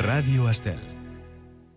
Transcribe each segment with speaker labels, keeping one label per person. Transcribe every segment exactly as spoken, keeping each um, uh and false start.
Speaker 1: Ràdio Estel.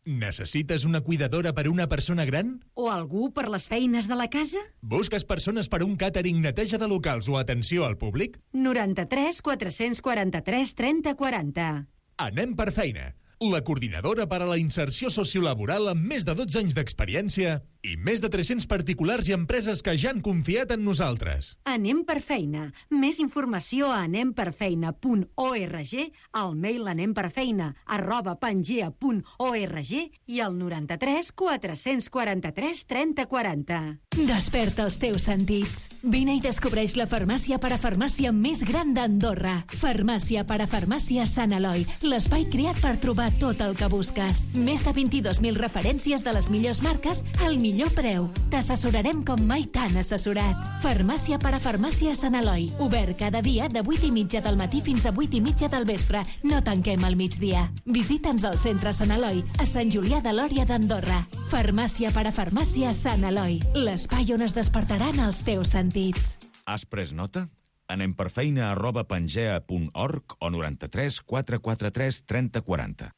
Speaker 1: Necessites una cuidadora per a una persona gran?
Speaker 2: O algú per les feines de la casa?
Speaker 1: Busques persones per a un càtering, neteja de locals o atenció al públic?
Speaker 2: noranta-tres quatre-cents quaranta-tres trenta quaranta.
Speaker 1: Anem per feina. La coordinadora per a la inserció sociolaboral amb més de dotze anys d'experiència i més de tres-cents particulars i empreses que ja han confiat en nosaltres.
Speaker 2: Anem per feina. Més informació a anemperfeina punt org, al mail anemperfeina arroba pangea punt org i al noranta-tres quatre-cents quaranta-tres trenta quaranta.
Speaker 3: Desperta els teus sentits. Vine i descobreix la farmàcia parafarmàcia més gran d'Andorra. Farmàcia parafarmàcia Sant Eloi, l'espai creat per trobar tot el que busques. Més de vint-i-dos mil referències de les millors marques al millor preu. T'assessorarem com mai t'han assessorat. Farmàcia parafarmàcia Sant Eloi. Obert cada dia de vuit i mitja del matí fins a vuit i mitja del vespre. No tanquem al migdia. Visita'ns al centre Sant Eloi, a Sant Julià de Lòria d'Andorra. Farmàcia parafarmàcia Sant Eloi. L'espai on es despertaran els teus sentits.
Speaker 4: Has pres nota? Anem per feina arroba pangea punt org o noranta-tres quatre quatre tres trenta quaranta.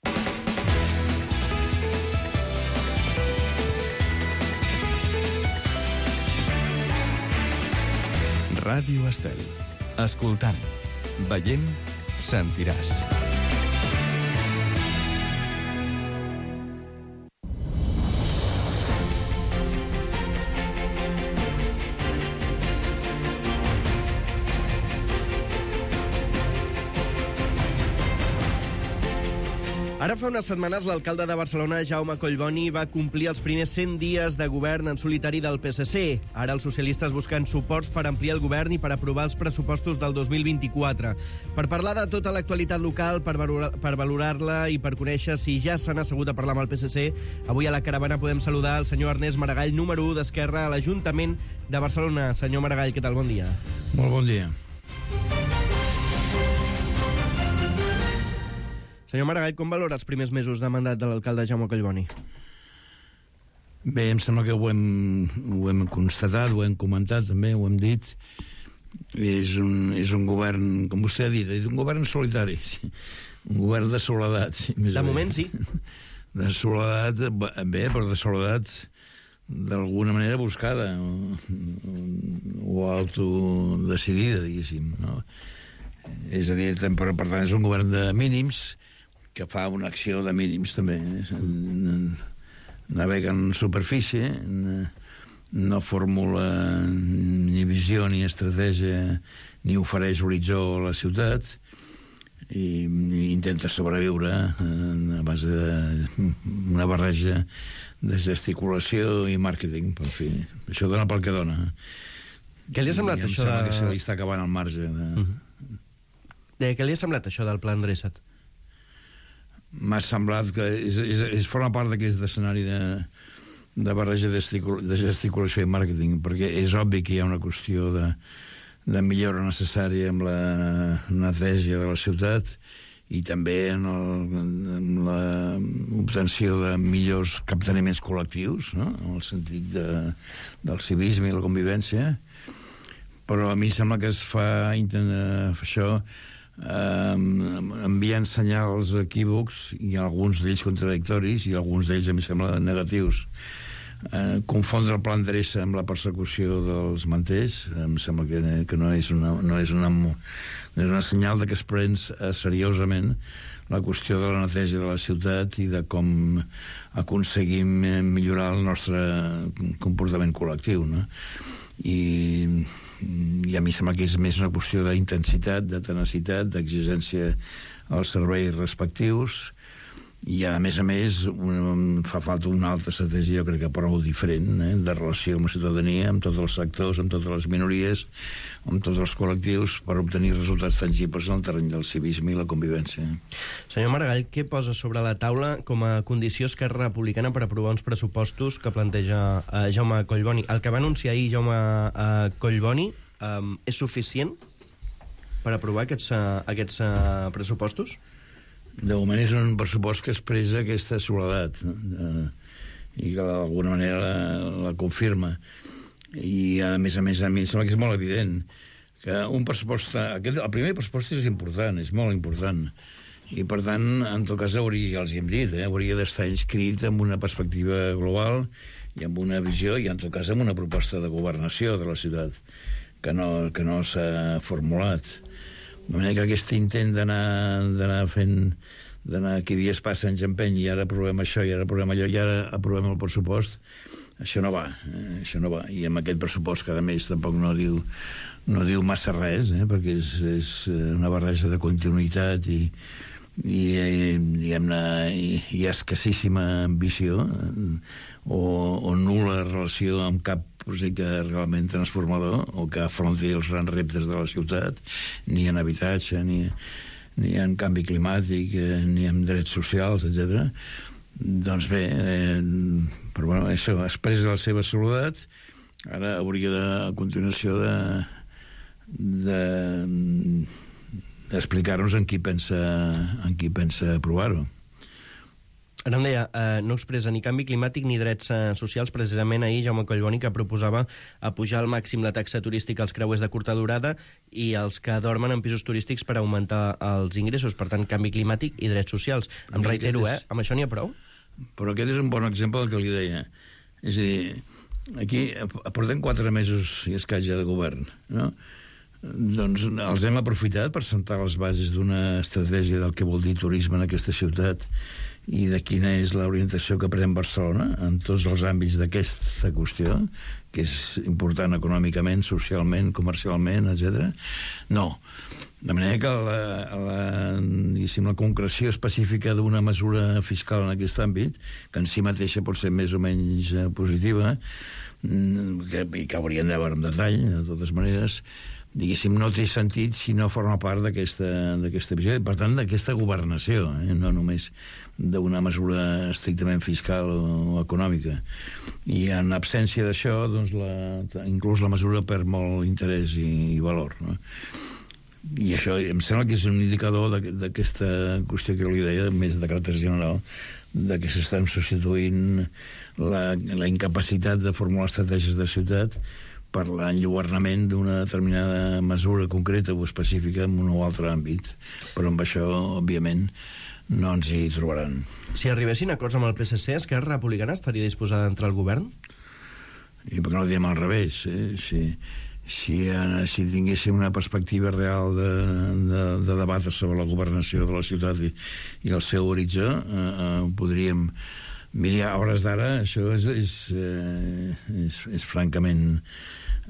Speaker 1: Ràdio Estel. Escoltant, veient, sentiràs.
Speaker 5: Ara fa unes setmanes l'alcalde de Barcelona, Jaume Collboni, va complir els primers cent dies de govern en solitari del P S C. Ara els socialistes busquen suports per ampliar el govern i per aprovar els pressupostos del dos mil vint-i-quatre. Per parlar de tota l'actualitat local, per, valorar, per valorar-la i per conèixer si ja s'han assegut a parlar amb el P S C, avui a la caravana podem saludar el senyor Ernest Maragall, número u d'Esquerra a l'Ajuntament de Barcelona. Senyor Maragall, què tal? Bon dia.
Speaker 6: Molt bon dia.
Speaker 5: Senyor Maragall, com valora els primers mesos de mandat de l'alcalde Jaume Collboni?
Speaker 6: Bé, em sembla que ho hem, ho hem constatat, ho hem comentat també, ho hem dit. És un, és un govern, com vostè ha dit, és un govern solitari, un govern de soledat.
Speaker 5: De moment, sí.
Speaker 6: De soledat, bé, però de soledat d'alguna manera buscada o, o autodecidida, diguéssim, no? És a dir, per, per tant, és un govern de mínims que fa una acció de mínims també. Navega en superfície, no formula ni visió ni estratègia ni ofereix horitzó a la ciutat i, i intenta sobreviure a base d'una barreja de gesticulació i màrqueting. Per fi, això dona pel que dona.
Speaker 5: Què li ha semblat
Speaker 6: I
Speaker 5: això de...
Speaker 6: que se li està acabant el marge de...
Speaker 5: Uh-huh. De què li ha semblat això del pla endreçat?
Speaker 6: M'ha semblat que és, és, és forma part d'aquest escenari de, de barreja de, de gesticulació i màrqueting, perquè és obvi que hi ha una qüestió de, de millora necessària amb la neteja de la ciutat i també en, el, en l'obtenció de millors capteniments col·lectius, no? En el sentit de, del civisme i la convivència. Però a mi sembla que es fa intentar fer això eh, enviant senyals equívocs i alguns d'ells contradictoris i alguns d'ells a mi sembla negatius. Eh, confondre el pla endreça amb la persecució dels manters em sembla que, que no és una, no és una, no és una senyal de que es pren seriosament la qüestió de la neteja de la ciutat i de com aconseguim millorar el nostre comportament col·lectiu, no? I i a mi sembla que és més una qüestió d'intensitat, de tenacitat, d'exigència als serveis respectius i a més a més un, fa falta una altra estratègia, jo crec que prou diferent, eh, de relació amb la ciutadania, amb tots els sectors, amb totes les minories, amb tots els col·lectius per obtenir resultats tangibles en el terreny del civisme i la convivència.
Speaker 5: Senyor Maragall, què posa sobre la taula com a condició Esquerra Republicana per aprovar uns pressupostos que planteja eh, Jaume Collboni? El que va anunciar ahir Jaume eh, Collboni eh, és suficient per aprovar aquests, eh, aquests eh, pressupostos?
Speaker 6: De moment és un pressupost que expressa aquesta soledat, no? eh, i que d'alguna manera la, la confirma. I a més a més a mi em sembla que és molt evident que un pressupost, aquest, el primer pressupost és important, és molt important, I, per tant, en tot cas, hauria, ja els hi hem dit, eh, hauria d'estar inscrit amb una perspectiva global i amb una visió, i en tot cas amb una proposta de governació de la ciutat, que no, que no s'ha formulat. De manera que aquest intent d'anar fent, d'anar aquí dies passa, ens empeny, i ara aprovem això, i ara aprovem allò, i ara aprovem el pressupost, això no va, eh, això no va. I amb aquest pressupost, que a més tampoc no diu, no diu massa res, eh, perquè és, és una barreja de continuïtat i, i, diguem-ne, hi, hi ha escassíssima ambició o, o nul·la relació amb cap projecte realment transformador o que afronti els grans reptes de la ciutat, ni en habitatge, ni, ni en canvi climàtic, eh, ni en drets socials, etcètera. Doncs bé, eh, però bueno, això, expressa la seva soledat, ara hauria de, a continuació de, de, d'explicar-nos en qui pensa, en qui pensa aprovar-ho.
Speaker 5: Ara em deia, eh, no expressa ni canvi climàtic ni drets eh, socials. Precisament ahir Jaume Collboni, que proposava apujar al màxim la taxa turística als creuers de curta durada i els que dormen en pisos turístics per augmentar els ingressos. Per tant, canvi climàtic i drets socials. Però em reitero, eh? Amb això n'hi ha prou?
Speaker 6: Però aquest és un bon exemple del que li deia. És a dir, aquí portem quatre mesos i escaig ja de govern, no? Doncs els hem aprofitat per sentar les bases d'una estratègia del que vol dir turisme en aquesta ciutat i de quina és l'orientació que pren Barcelona en tots els àmbits d'aquesta qüestió, que és important econòmicament, socialment, comercialment, etcètera. No. De manera que la, la, diguéssim, la concreció específica d'una mesura fiscal en aquest àmbit, que en si mateixa pot ser més o menys eh, positiva, que, i que hauríem de veure en detall, de totes maneres, diguéssim, no té sentit si no forma part d'aquesta visió, i per tant d'aquesta governació, eh? No només d'una mesura estrictament fiscal o, o econòmica. I en absència d'això, doncs la, inclús la mesura perd molt interès i, i valor, no? I això em sembla que és un indicador d'aquesta qüestió que li deia, més de caràcter general, de que s'estan substituint la, la incapacitat de formular estratègies de ciutat per l'enlluernament d'una determinada mesura concreta o específica en un o altre àmbit. Però amb això, òbviament, no ens hi trobaran.
Speaker 5: Si arribessin a acords amb el P S C, Esquerra Republicana estaria disposada a entrar al govern?
Speaker 6: I per què no ho diem al revés? Eh? Si, si, si tinguéssim una perspectiva real de, de, de debatre sobre la governació de la ciutat i, i el seu horitzó, eh, eh, podríem... Mira, a hores d'ara, això és, és, eh, és, és francament,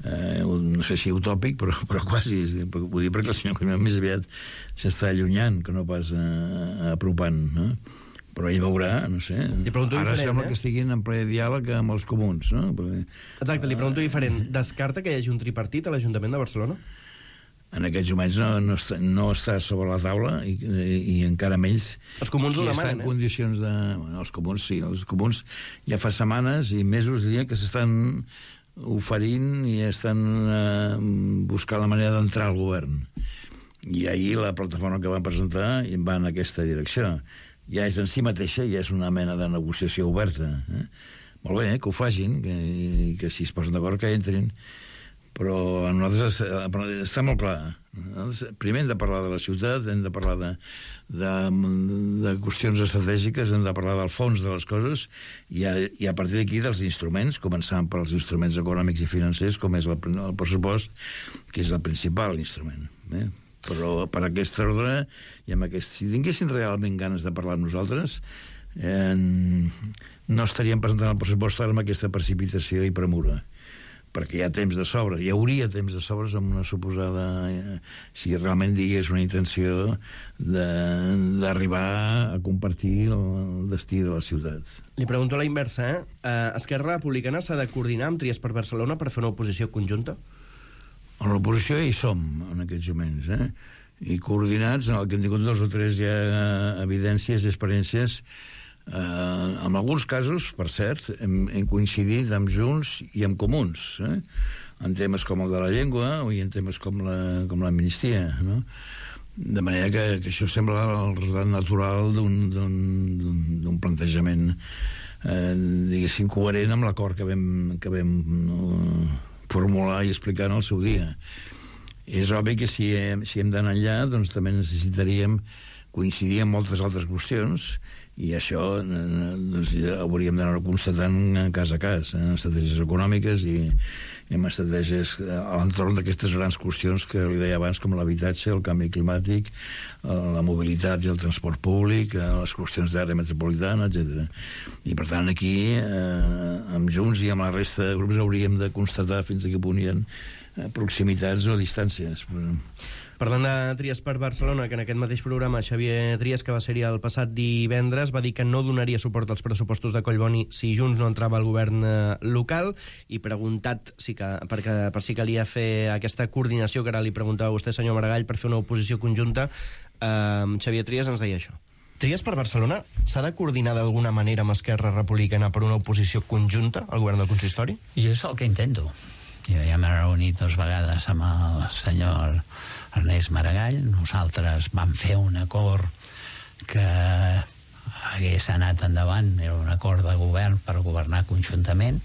Speaker 6: eh, no sé si utòpic, però, però quasi, és, vull dir, perquè el senyor Climent més aviat s'està allunyant que no pas eh, apropant, no? Però ell veurà, no sé, ara sembla eh? que estiguin en ple diàleg amb els comuns, no? Perquè,
Speaker 5: exacte, li pregunto diferent. Descarta que hi hagi un tripartit a l'Ajuntament de Barcelona?
Speaker 6: En aquests moments no, no, està, no està sobre la taula i, i, i encara menys...
Speaker 5: Els comuns ho demanen,
Speaker 6: en eh? condicions de... Bueno, els comuns sí, els comuns ja fa setmanes i mesos, diria, que s'estan oferint i estan eh, buscant la manera d'entrar al govern. I ahir la plataforma que van presentar va en aquesta direcció. Ja és en si mateixa, ja és una mena de negociació oberta. Eh? Molt bé, eh, que ho facin, que, que si es posen d'acord que entrin. Però a nosaltres està molt clar. Primer hem de parlar de la ciutat, hem de parlar de, de, de qüestions estratègiques, hem de parlar del fons de les coses i a, i a partir d'aquí dels instruments, començant pels instruments econòmics i financers, com és el, el pressupost, que és el principal instrument. Eh? Però per aquest ordre, i amb aquest, si tinguessin realment ganes de parlar amb nosaltres, eh, no estaríem presentant el pressupost ara amb aquesta precipitació i premura, perquè hi ha temps de sobre, hi hauria temps de sobres amb una suposada, eh, si realment digués una intenció d'arribar a compartir el destí de la ciutat.
Speaker 5: Li pregunto a la inversa, eh? eh Esquerra Republicana s'ha de coordinar amb Tries per Barcelona per fer una oposició conjunta?
Speaker 6: En l'oposició hi som, en aquests moments, eh? I coordinats, en el que hem tingut dos o tres ja evidències i experiències. Uh, en alguns casos, per cert, hem, hem coincidit amb Junts i amb Comuns, eh? En temes com el de la llengua i en temes com la, com l'amnistia, no? De manera que, que això sembla el resultat natural d'un plantejament eh, diguéssim coherent amb l'acord que vam, que vam no, formular i explicar en el seu dia. És obvi que si hem, si hem d'anar enllà, doncs també necessitaríem coincidir en moltes altres qüestions, i això doncs, hauríem d'anar constatant cas a cas, en estratègies econòmiques i, i en estratègies a l'entorn d'aquestes grans qüestions que li deia abans, com l'habitatge, el canvi climàtic, la mobilitat i el transport públic, les qüestions d'àrea metropolitana, etcètera. I per tant aquí, eh, amb Junts i amb la resta de grups, hauríem de constatar fins a què punt hi ha proximitats o distàncies.
Speaker 5: Parlant de Trias per Barcelona, que en aquest mateix programa Xavier Trias, que va ser-hi el passat divendres, va dir que no donaria suport als pressupostos de Collboni si Junts no entrava al govern local, i preguntat si que, perquè, per si calia fer aquesta coordinació, que ara li preguntava a vostè, senyor Maragall, per fer una oposició conjunta, eh, Xavier Trias ens deia això. Trias per Barcelona s'ha de coordinar d'alguna manera amb Esquerra Republicana per una oposició conjunta al govern del consistori?
Speaker 7: Jo és el que intento. Jo ja m'he reunit dues vegades amb el senyor Ernest Maragall. Nosaltres vam fer un acord que hagués anat endavant, era un acord de govern per governar conjuntament,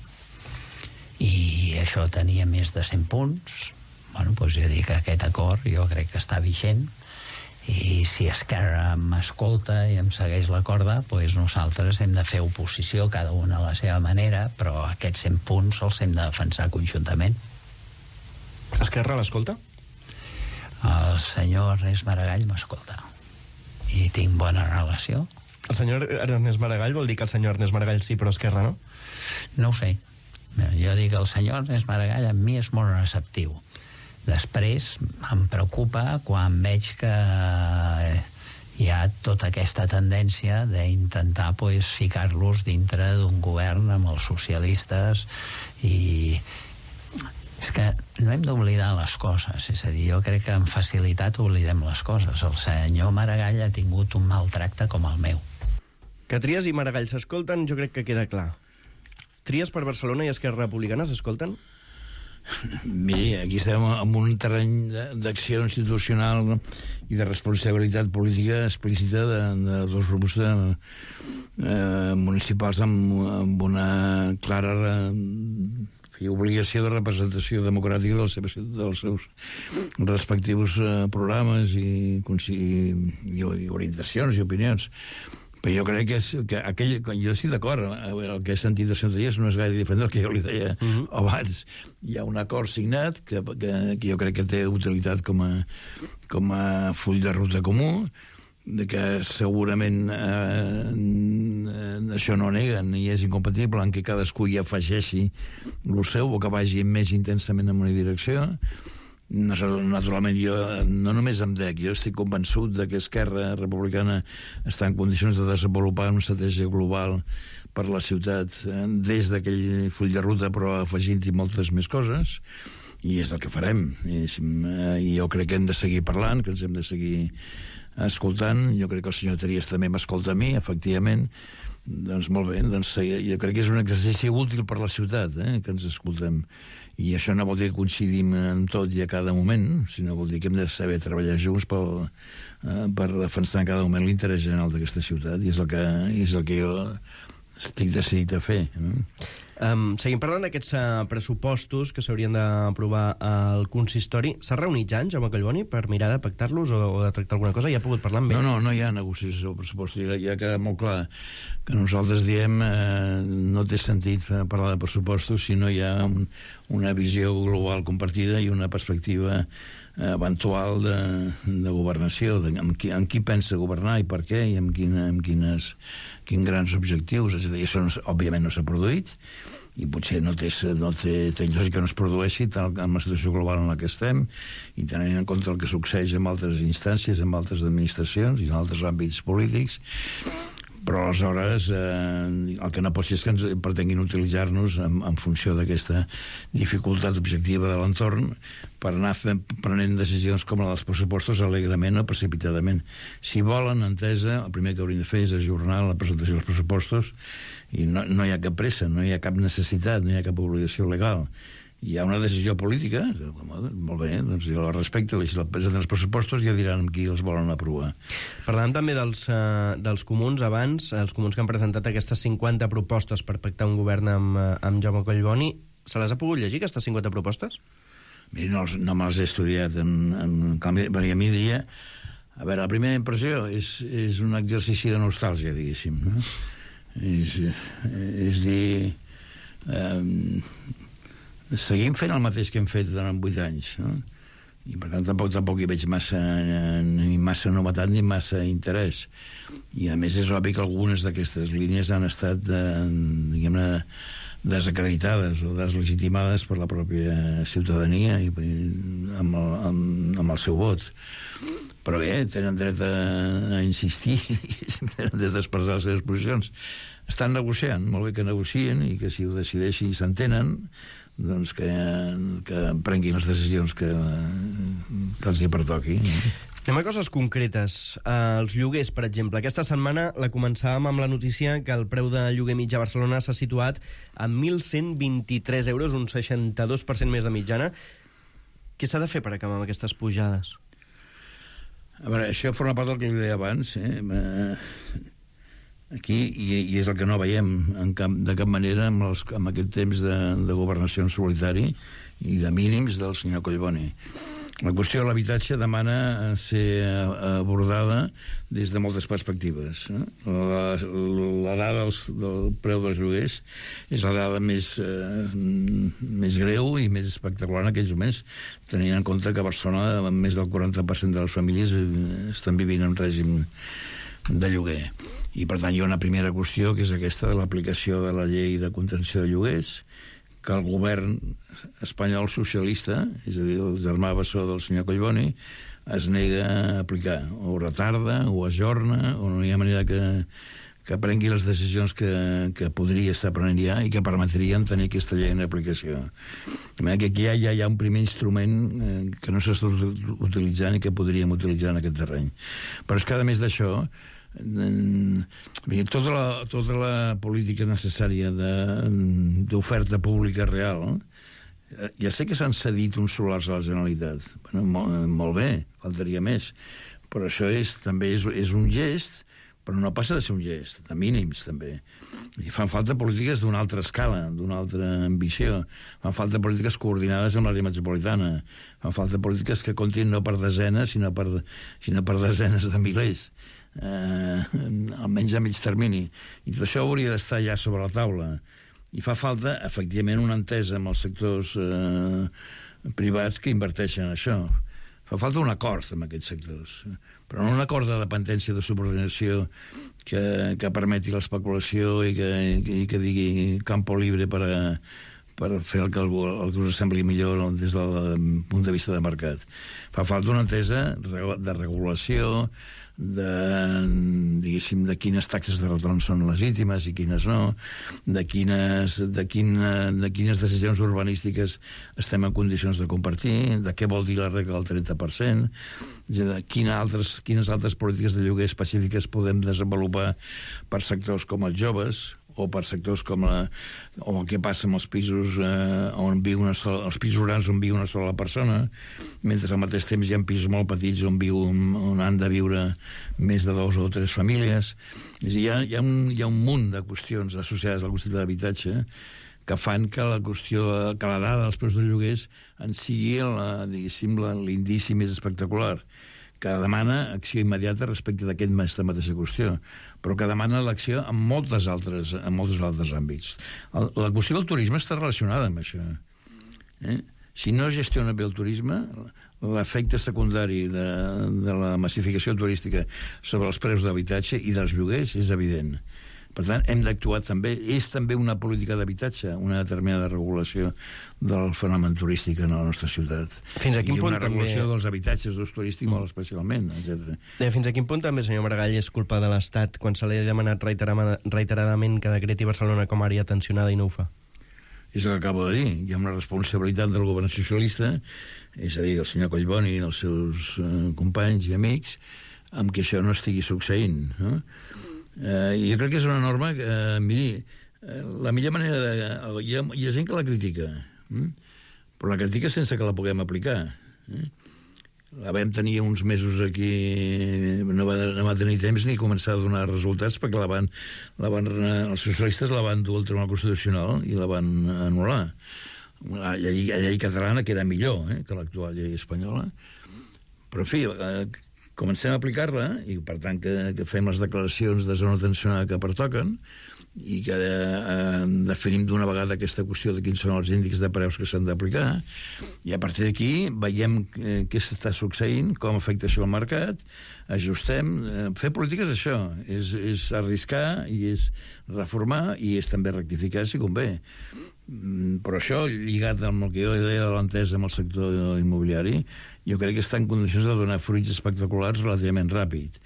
Speaker 7: i això tenia més de cent punts. Bueno, doncs jo dic que aquest acord jo crec que està vigent, i si Esquerra m'escolta i em segueix la corda, doncs nosaltres hem de fer oposició, cada una a la seva manera, però aquests cent punts els hem de defensar conjuntament.
Speaker 5: Esquerra l'escolta?
Speaker 7: El senyor Ernest Maragall m'escolta i tinc bona relació.
Speaker 5: El senyor Ernest Maragall vol dir que el senyor Ernest Maragall sí, però Esquerra no?
Speaker 7: No ho sé. Jo dic que el senyor Ernest Maragall amb mi és molt receptiu. Després em preocupa quan veig que hi ha tota aquesta tendència d'intentar pues, ficar-los dintre d'un govern amb els socialistes, i és que no hem d'oblidar les coses, és a dir, jo crec que amb facilitat oblidem les coses. El senyor Maragall ha tingut un maltracte com el meu.
Speaker 5: Que Trias i Maragall s'escolten, jo crec que queda clar. Trias per Barcelona i Esquerra Republicana s'escolten?
Speaker 6: Miri, aquí estem en un terreny d'acció institucional i de responsabilitat política explícita de, de dos grups de, eh, municipals amb, amb una clara eh, obligació de representació democràtica dels seus, dels seus respectius eh, programes i, i, i orientacions i opinions. Però jo crec que, és, que aquell, jo estic d'acord, el que he sentit del senyor Trias no és gaire diferent del que jo li deia uh-huh. abans. Hi ha un acord signat que, que, que jo crec que té utilitat com a, com a full de ruta comú, de que segurament eh, això no neguen i és incompatible en què cadascú hi afegeixi el seu o que vagi més intensament en una direcció. Naturalment, jo no només em dec, jo estic convençut de que Esquerra Republicana està en condicions de desenvolupar una estratègia global per la ciutat des d'aquell full de ruta, però afegint-hi moltes més coses, i és el que farem. I, i jo crec que hem de seguir parlant, que ens hem de seguir escoltant. Jo crec que el senyor Trias també m'escolta a mi, efectivament. Doncs molt bé, doncs jo crec que és un exercici útil per la ciutat, eh, que ens escoltem. I això no vol dir que coincidim en tot i a cada moment, sinó vol dir que hem de saber treballar junts per, eh, per defensar en cada moment l'interès general d'aquesta ciutat, i és el que, és el que jo estic decidit a fer. Eh?
Speaker 5: Um, seguim parlant d'aquests uh, pressupostos que s'haurien d'aprovar al consistori. S'ha reunit ja en Jaume Collboni per mirar de pactar-los o, o de tractar alguna cosa? Ja ha pogut parlar amb ell?
Speaker 6: No, no, no hi ha negociació del pressupost. Ja, ja queda molt clar que nosaltres diem eh, no té sentit parlar de pressupostos si no hi ha un, una visió global compartida i una perspectiva eh, eventual de, de governació, de, amb, qui, amb qui pensa governar i per què, i amb, quina, amb quines, quins grans objectius. És a dir, això no, òbviament no s'ha produït, i potser no té, no té, té lògica que no es produeixi tal en la situació global en la que estem, i tenint en compte el que succeeix en altres instàncies, en altres administracions i en altres àmbits polítics. Però aleshores eh, el que no pot ser és que ens pretenguin utilitzar-nos en, en funció d'aquesta dificultat objectiva de l'entorn per anar fent, prenent decisions com la dels pressupostos alegrement o precipitadament. Si volen, entesa, el primer que haurien de fer és ajornar la presentació dels pressupostos, i no, no hi ha cap pressa, no hi ha cap necessitat, no hi ha cap obligació legal. Hi ha una decisió política, que, molt bé, doncs jo la respecto, i si la presenten els pressupostos ja diran amb qui els volen aprovar.
Speaker 5: Parlant també dels, uh, dels comuns abans, els comuns que han presentat aquestes cinquanta propostes per pactar un govern amb, amb Jaume Collboni, se les ha pogut llegir, aquestes cinquanta propostes?
Speaker 6: Mira, no, no me les he estudiat en, en canvi, perquè a mi dia A veure, la primera impressió és, és un exercici de nostàlgia, diguéssim. No? És, és dir... Eh, seguim fent el mateix que hem fet durant vuit anys, no? I per tant tampoc, tampoc hi veig massa, ni massa novetat ni massa interès. I a més és obvi que algunes d'aquestes línies han estat, eh, diguem-ne, desacreditades o deslegitimades per la pròpia ciutadania i amb el, amb, amb el seu vot. Però bé, tenen dret a, a insistir i tenen dret a expressar les seves posicions. Estan negociant, molt bé que negocien i que si ho decideixi i s'entenen, doncs que, que prenguin les decisions que, que els hi pertoqui.
Speaker 5: Anem a coses concretes. Uh, els lloguers, per exemple. Aquesta setmana la començàvem amb la notícia que el preu de lloguer mitjà a Barcelona s'ha situat a mil cent vint-i-tres euros, un seixanta-dos per cent més de mitjana. Què s'ha de fer per acabar amb aquestes pujades?
Speaker 6: A veure, això forma part del que jo deia abans, eh? Aquí, i, i és el que no veiem en cap, de cap manera amb, els, amb aquest temps de, de governació en solitari i de mínims del senyor Collboni. La qüestió de l'habitatge demana ser abordada des de moltes perspectives. La, la dada dels, del preu dels lloguers és la dada més, eh, més greu i més espectacular en aquells moments, tenint en compte que a Barcelona més del quaranta per cent de les famílies estan vivint en règim de lloguer. I, per tant, hi ha una primera qüestió, que és aquesta de l'aplicació de la llei de contenció de lloguers, que el govern espanyol socialista, és a dir, el germà bessó del senyor Collboni, es nega a aplicar, o retarda, o ajorna, o no hi ha manera que, que prengui les decisions que, que podria estar prenent ja i que permetrien tenir aquesta llei en aplicació. De manera que aquí ja, ja hi ha un primer instrument eh, que no s'està utilitzant i que podríem utilitzar en aquest terreny. Però és que, a més d'això, tota la, tota la política necessària d'oferta pública real, ja sé que s'han cedit uns solars a la Generalitat, bueno, molt, molt bé, faltaria més, però això és, també és, és un gest, però no passa de ser un gest, de mínims també. I fan falta polítiques d'una altra escala, d'una altra ambició, fan falta polítiques coordinades amb l'àrea metropolitana, fan falta polítiques que comptin no per desenes, sinó per, sinó per desenes de milers. Eh, almenys a mig termini, i tot això hauria d'estar ja sobre la taula, i fa falta efectivament una entesa amb els sectors eh, privats que inverteixen en això. Fa falta un acord amb aquests sectors, però no un acord de dependència, de subordinació que, que permeti l'especulació i que, i que digui campo libre per a per fer el que, el, el que us sembli millor des del punt de vista de mercat. Fa falta una entesa de regulació, de, diguéssim, de quines taxes de retorn són legítimes i quines no, de quines, de, quina, de quines decisions urbanístiques estem en condicions de compartir, de què vol dir la regla del trenta per cent, de quines altres, quines altres polítiques de lloguer específiques podem desenvolupar per sectors com els joves, o per sectors com la, o el que passa amb els pisos eh, on viu una sola, els pisos grans on viu una sola persona, mentre al mateix temps hi ha pisos molt petits on, viu, on han de viure més de dos o tres famílies. És a dir, hi ha, hi ha, un, hi ha un munt de qüestions associades al concepte d'habitatge que fan que la qüestió, que la dada dels preus de lloguers en sigui la, diguéssim, l'indici més espectacular, que demana acció immediata respecte d'aquesta mateixa qüestió, però que demana l'acció en moltes altres, en molts altres àmbits. El, la qüestió del turisme està relacionada amb això. Eh? Si no es gestiona bé el turisme, l'efecte secundari de, de la massificació turística sobre els preus d'habitatge i dels lloguers és evident. Per tant, hem d'actuar també. És també una política d'habitatge, una determinada regulació del fenomen turístic en la nostra ciutat.
Speaker 5: Fins a quin
Speaker 6: I
Speaker 5: punt
Speaker 6: una regulació
Speaker 5: també...
Speaker 6: dels habitatges d'ús turístic molt especialment, etcètera.
Speaker 5: Fins a quin punt també, senyor Maragall, és culpa de l'Estat quan se li ha demanat reiteradament que decreti Barcelona com a àrea tensionada i no ho fa?
Speaker 6: És el que acabo de dir. Hi ha una responsabilitat del govern socialista, és a dir, del senyor Collboni i dels seus eh, companys i amics, amb que això no estigui succeint, no? Uh, I jo crec que és una norma que, uh, miri, uh, la millor manera de... Uh, hi, ha, hi ha gent que la critica, mm? però la critica sense que la puguem aplicar. Eh? La vam tenir uns mesos aquí, no va, no va tenir temps ni començar a donar resultats perquè la van, la van, els socialistes la van dur al Tribunal Constitucional i la van anul·lar. La llei, la llei catalana, que era millor eh, que l'actual llei espanyola. Però, en fi, uh, comencem a aplicar-la, i per tant que, que fem les declaracions de zona tensionada que pertoquen, i que eh, definim d'una vegada aquesta qüestió de quins són els índexs de preus que s'han d'aplicar, i a partir d'aquí veiem eh, què s'està succeint, com afecta això al mercat, ajustem. Eh, fer política és això, és, és arriscar, i és reformar, i és també rectificar si convé. Mm, però això, lligat amb el que jo deia de l'entesa amb el sector immobiliari, jo crec que està en condicions de donar fruits espectaculars relativament ràpid,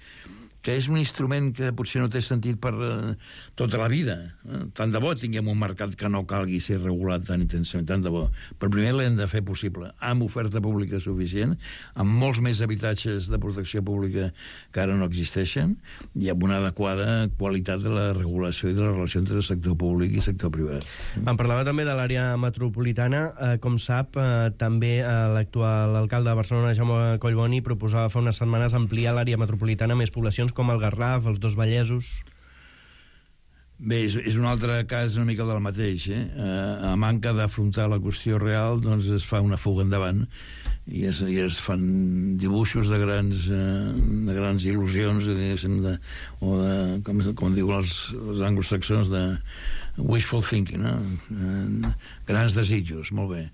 Speaker 6: que és un instrument que potser no té sentit per uh, tota la vida. Eh? Tant de bo tinguem un mercat que no calgui ser regulat tan intensament, tant de bo. Però primer l'hem de fer possible, amb oferta pública suficient, amb molts més habitatges de protecció pública que ara no existeixen, i amb una adequada qualitat de la regulació i de la relació entre el sector públic i el sector privat.
Speaker 5: Em parlava també de l'àrea metropolitana. Eh, com sap, eh, també eh, l'actual alcalde de Barcelona, Jaume Collboni, proposava fa unes setmanes ampliar l'àrea metropolitana a més poblacions com el Garraf, els dos Vallesos.
Speaker 6: Bé, és, és un altre cas una mica del mateix. Eh? A manca d'afrontar la qüestió real, doncs es fa una fuga endavant i es, i es fan dibuixos de grans, de grans il·lusions, de, o de, com, com diuen els, els anglosaxons, de wishful thinking, no? Grans desitjos, molt bé.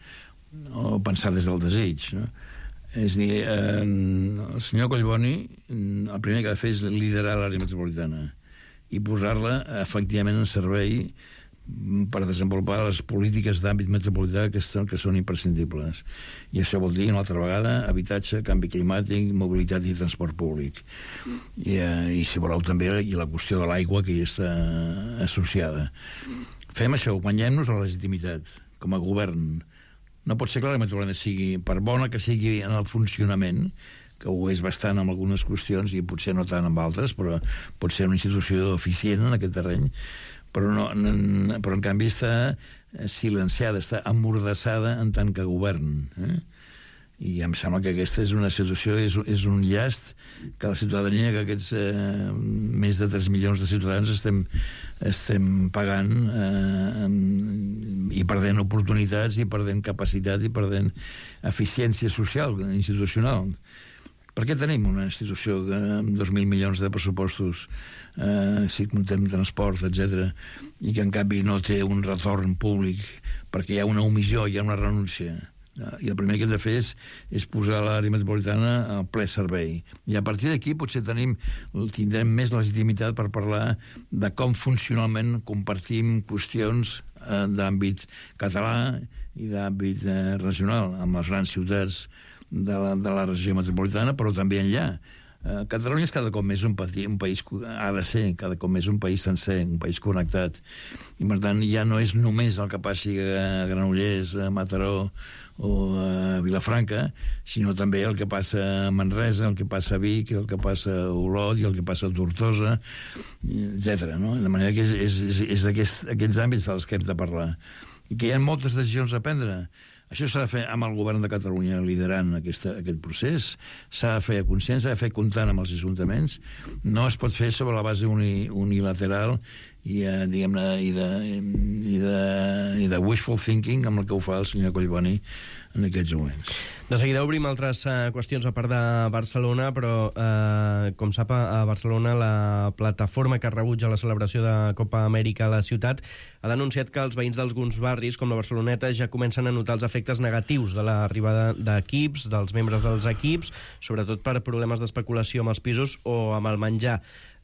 Speaker 6: O pensar des del desig, no? És a dir, eh, el senyor Collboni el primer que ha de fer és liderar l'àrea metropolitana i posar-la efectivament en servei per desenvolupar les polítiques d'àmbit metropolità que són, que són imprescindibles. I això vol dir, una altra vegada, habitatge, canvi climàtic, mobilitat i transport públic. I, eh, i si voleu també, i la qüestió de l'aigua que hi està associada. Fem això, guanyem-nos la legitimitat com a govern. No pot ser que l'àrea metropolitana sigui, per bona que sigui en el funcionament, que ho és bastant en algunes qüestions i potser no tant en altres, però pot ser una institució eficient en aquest terreny, però, no, en, però en canvi està silenciada, està amordassada en tant que govern. Eh? I em sembla que aquesta és una situació, és, és un llast que la ciutadania, que aquests eh, més de tres milions de ciutadans estem, estem pagant eh, i perdent oportunitats i perdent capacitat i perdent eficiència social, institucional. Per què tenim una institució que, amb dos mil milions de pressupostos, eh, si comptem transport, etcètera, i que en canvi no té un retorn públic perquè hi ha una omissió, hi ha una renúncia? I el primer que hem de fer és, és posar l'àrea metropolitana al ple servei. I a partir d'aquí potser tenim, tindrem més legitimitat per parlar de com funcionalment compartim qüestions eh, d'àmbit català i d'àmbit eh, regional amb les grans ciutats de la, de la regió metropolitana, però també enllà. Uh, Catalunya és cada cop més un, pati, un país, ha de ser cada cop més un país sencer, un país connectat, i per tant ja no és només el que passi a Granollers, a Mataró o a Vilafranca, sinó també el que passa a Manresa, el que passa a Vic, el que passa a Olot i el que passa a Tortosa, etcètera. No? De manera que és, és, és, és aquest, aquests àmbits dels que hem de parlar. I que hi ha moltes decisions a prendre. Això s'ha de fer amb el govern de Catalunya liderant aquesta, aquest procés, s'ha de fer a consciència, s'ha de fer comptant amb els ajuntaments, no es pot fer sobre la base uni, unilateral i, eh, diguem-ne, i, de, i, de, i de wishful thinking amb el que ho fa el senyor Collboni en aquests moments.
Speaker 5: De seguida obrim altres uh, qüestions a part de Barcelona, però, uh, com sap, a Barcelona la plataforma que rebutja la celebració de Copa Amèrica a la ciutat ha denunciat que els veïns d'alguns barris, com la Barceloneta, ja comencen a notar els efectes negatius de l'arribada d'equips, dels membres dels equips, sobretot per problemes d'especulació amb els pisos o amb el menjar.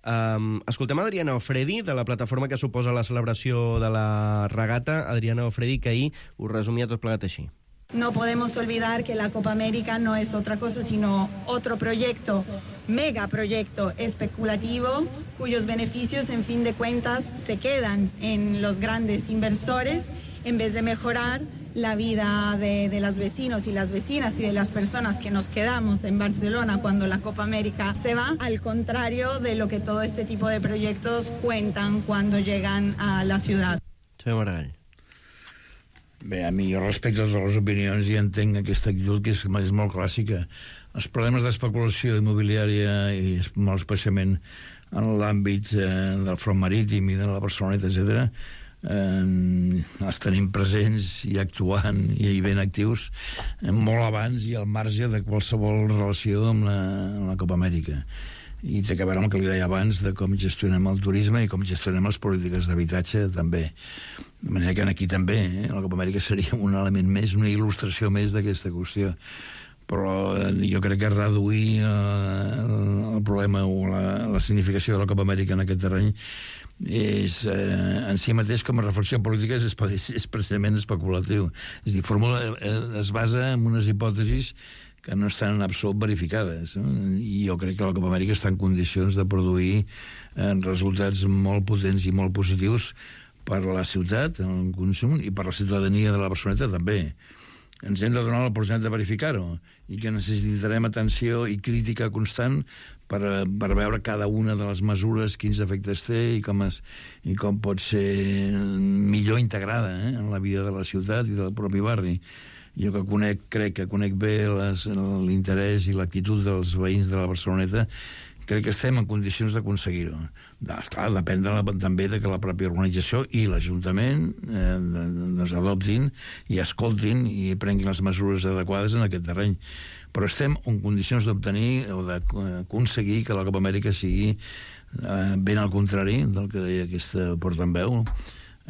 Speaker 5: Um, escoltem Adriana Ofredi, de la plataforma que suposa la celebració de la regata. Adriana Ofredi, que ahir ho resumia tot plegat així.
Speaker 8: No podemos olvidar que la Copa América no es otra cosa sino otro proyecto, megaproyecto especulativo, cuyos beneficios, en fin de cuentas, se quedan en los grandes inversores en vez de mejorar la vida de, de los vecinos y las vecinas y de las personas que nos quedamos en Barcelona cuando la Copa América se va, al contrario de lo que todo este tipo de proyectos cuentan cuando llegan a la ciudad.
Speaker 5: Senyor Maragall.
Speaker 6: Bé, a mi, jo respecto totes les opinions i entenc aquesta actitud que és, és molt clàssica. Els problemes d'especulació immobiliària i molt especialment en l'àmbit eh, del front marítim i de la Barceloneta, etcètera, eh, els tenim presents i actuant i ben actius eh, molt abans i al marge de qualsevol relació amb la, amb la Copa Amèrica. I té que veure amb el que li deia abans de com gestionem el turisme i com gestionem les polítiques d'habitatge també. De manera que aquí també eh, la Copa Amèrica seria un element més, una il·lustració més d'aquesta qüestió. Però jo crec que reduir eh, el problema o la, la significació de la Copa Amèrica en aquest terreny és eh, en si mateix com a reflexió política és, és, és precisament especulatiu. És a dir, formula, eh, es basa en unes hipòtesis que no estan en absolut verificades, no? I jo crec que la Copa Amèrica està en condicions de produir eh, resultats molt potents i molt positius per a la ciutat, en el consum, i per a la ciutadania de la Barceloneta també. Ens hem de donar l'oportunitat de verificar-ho i que necessitarem atenció i crítica constant per, per veure cada una de les mesures, quins efectes té i com, es, i com pot ser millor integrada eh, en la vida de la ciutat i del propi barri. Jo que conec, crec que conec bé les, l'interès i l'actitud dels veïns de la Barceloneta, crec que estem en condicions d'aconseguir-ho. Esclar, depèn de la, també de que la pròpia organització i l'Ajuntament eh, doncs adoptin i escoltin i prenguin les mesures adequades en aquest terreny. Però estem en condicions d'obtenir o d'aconseguir que la Copa Amèrica sigui eh, ben al contrari del que deia aquesta portaveu,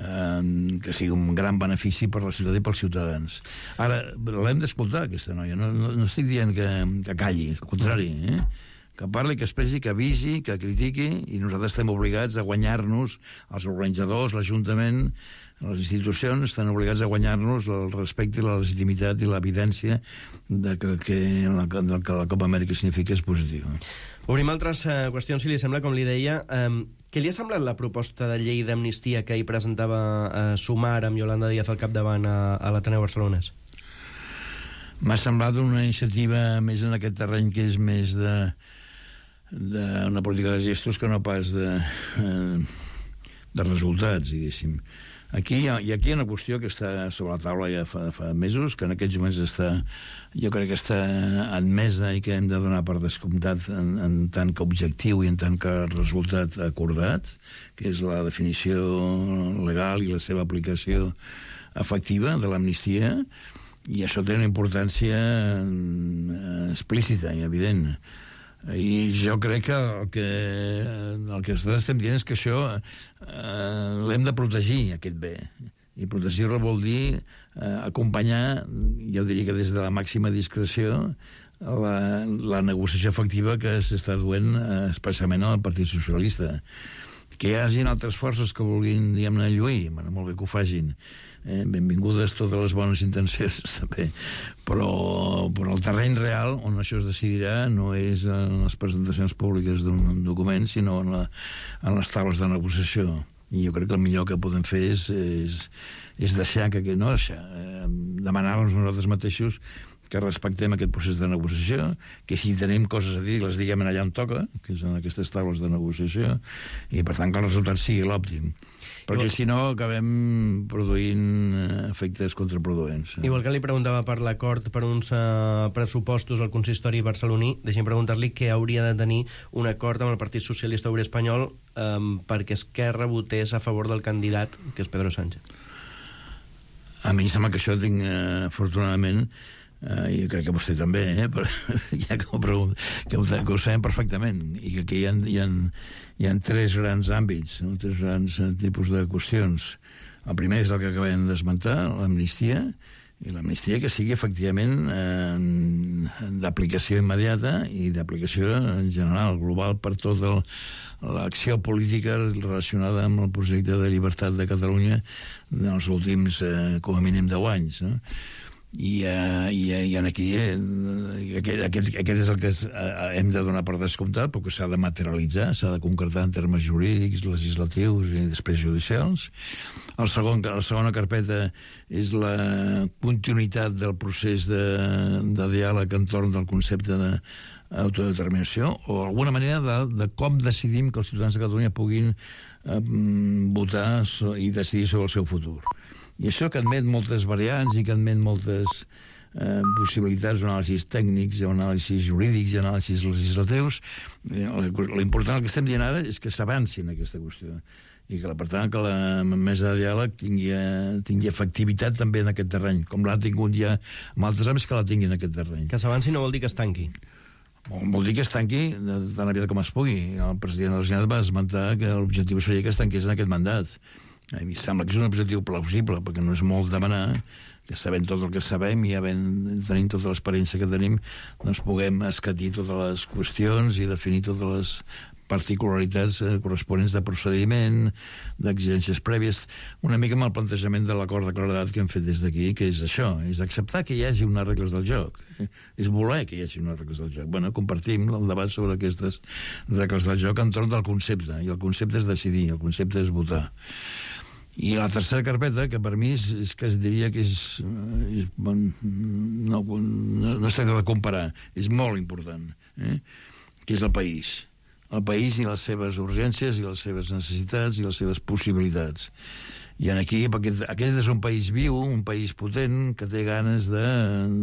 Speaker 6: eh, que sigui un gran benefici per la ciutat i pels ciutadans. Ara, l'hem d'escoltar, aquesta noia. No, no, no estic dient que, que calli, al contrari, eh? Que parli, que expressi, que avisi, que critiqui, i nosaltres estem obligats a guanyar-nos, els organitzadors, l'Ajuntament, les institucions estan obligats a guanyar-nos el respecte i la legitimitat i l'evidència de que, que, la, de que la Copa Amèrica significa és positiu.
Speaker 5: Obrim altres uh, qüestions, si li sembla, com li deia. Um, què li ha semblat la proposta de llei d'amnistia que ahir presentava uh, Sumar amb Yolanda Díaz al capdavant a, a l'Ateneu Barcelonès?
Speaker 6: M'ha semblat una iniciativa més en aquest terreny que és més de d'una política de gestos que no pas de, de resultats, diguéssim. Aquí hi ha, i aquí hi ha una qüestió que està sobre la taula ja fa, fa mesos, que en aquests moments està, jo crec que està admesa i que hem de donar per descomptat en, en tant que objectiu i en tant que resultat acordat, que és la definició legal i la seva aplicació efectiva de l'amnistia, i això té una importància explícita i evident. I jo crec que el que, el que estem dient és que això eh, l'hem de protegir, aquest bé. I protegir-lo vol dir eh, acompanyar, jo diria que des de la màxima discreció, la, la negociació efectiva que s'està duent eh, especialment al Partit Socialista. Que hi hagi altres forces que vulguin, diguem-ne, lluir, bueno, molt bé que ho facin. Eh, benvingudes totes les bones intencions, també. Però, però el terreny real on això es decidirà no és en les presentacions públiques d'un document, sinó en, la, en les taules de negociació. I jo crec que el millor que podem fer és, és, és deixar que... No deixar, eh, demanar-nos nosaltres mateixos que respectem aquest procés de negociació, que si tenim coses a dir les diguem allà on toca, que és en aquestes taules de negociació, i per tant que el resultat sigui l'òptim. Perquè si no acabem produint efectes contraproduents.
Speaker 5: Igual que li preguntava per l'acord per uns uh, pressupostos al consistori barceloní, deixem preguntar-li què hauria de tenir un acord amb el Partit Socialista Obrer Espanyol um, perquè Esquerra votés a favor del candidat, que és Pedro Sánchez.
Speaker 6: A mi sembla que això tinc, uh, afortunadament, Uh, i crec que vostè també, eh? Però, ja que ho, pregunt, que, ho, que ho sabem perfectament, i que aquí hi ha, hi ha, hi ha tres grans àmbits, no? Tres grans tipus de qüestions. El primer és el que acabem d'esmentar, l'amnistia, i l'amnistia que sigui efectivament eh, d'aplicació immediata i d'aplicació en general, global, per tota l'acció política relacionada amb el projecte de llibertat de Catalunya dels últims, eh, com a mínim, deu anys, no? I, uh, i, i aquí eh, aquest, aquest, aquest és el que es, uh, hem de donar per descomptat, perquè s'ha de materialitzar, s'ha de concretar en termes jurídics, legislatius i després judicials. El segon, la segona carpeta és la continuïtat del procés de, de diàleg entorn del concepte d'autodeterminació, o alguna manera de, de com decidim que els ciutadans de Catalunya puguin uh, votar so, i decidir sobre el seu futur. I això que admet moltes variants i que admet moltes eh, possibilitats, anàlisis tècnics, anàlisis jurídics i anàlisis legislatius, eh, l'important, el que estem dient ara és que s'avanci en aquesta qüestió. i que, per tant, que la mesa de diàleg tingui, tingui efectivitat també en aquest terreny, com l'ha tingut ja en altres àmbits, que la tingui en aquest terreny.
Speaker 5: Que s'avanci no vol dir que es tanqui.
Speaker 6: Vol dir que es tanqui tan aviat com es pugui. El president de la Generalitat va esmentar que l'objectiu seria que es tanqués en aquest mandat. A mi sembla que és un objectiu plausible, perquè no és molt demanar que sabent tot el que sabem i havent, tenint tota l'experiència que tenim, doncs puguem escatir totes les qüestions i definir totes les particularitats eh, corresponents de procediment, d'exigències prèvies, una mica amb el plantejament de l'acord de claredat que hem fet des d'aquí, que és això, és acceptar que hi hagi unes regles del joc, eh? És voler que hi hagi unes regles del joc. Bueno, compartim el debat sobre aquestes regles del joc entorn del concepte, i el concepte és decidir, el concepte és votar. I la tercera carpeta, que per mi és, és que es diria que és... és bon, no, no, no es tracta de comparar, és molt important, eh? Que és el país. El país i les seves urgències i les seves necessitats i les seves possibilitats. I aquí, perquè aquest és un país viu, un país potent, que té ganes de,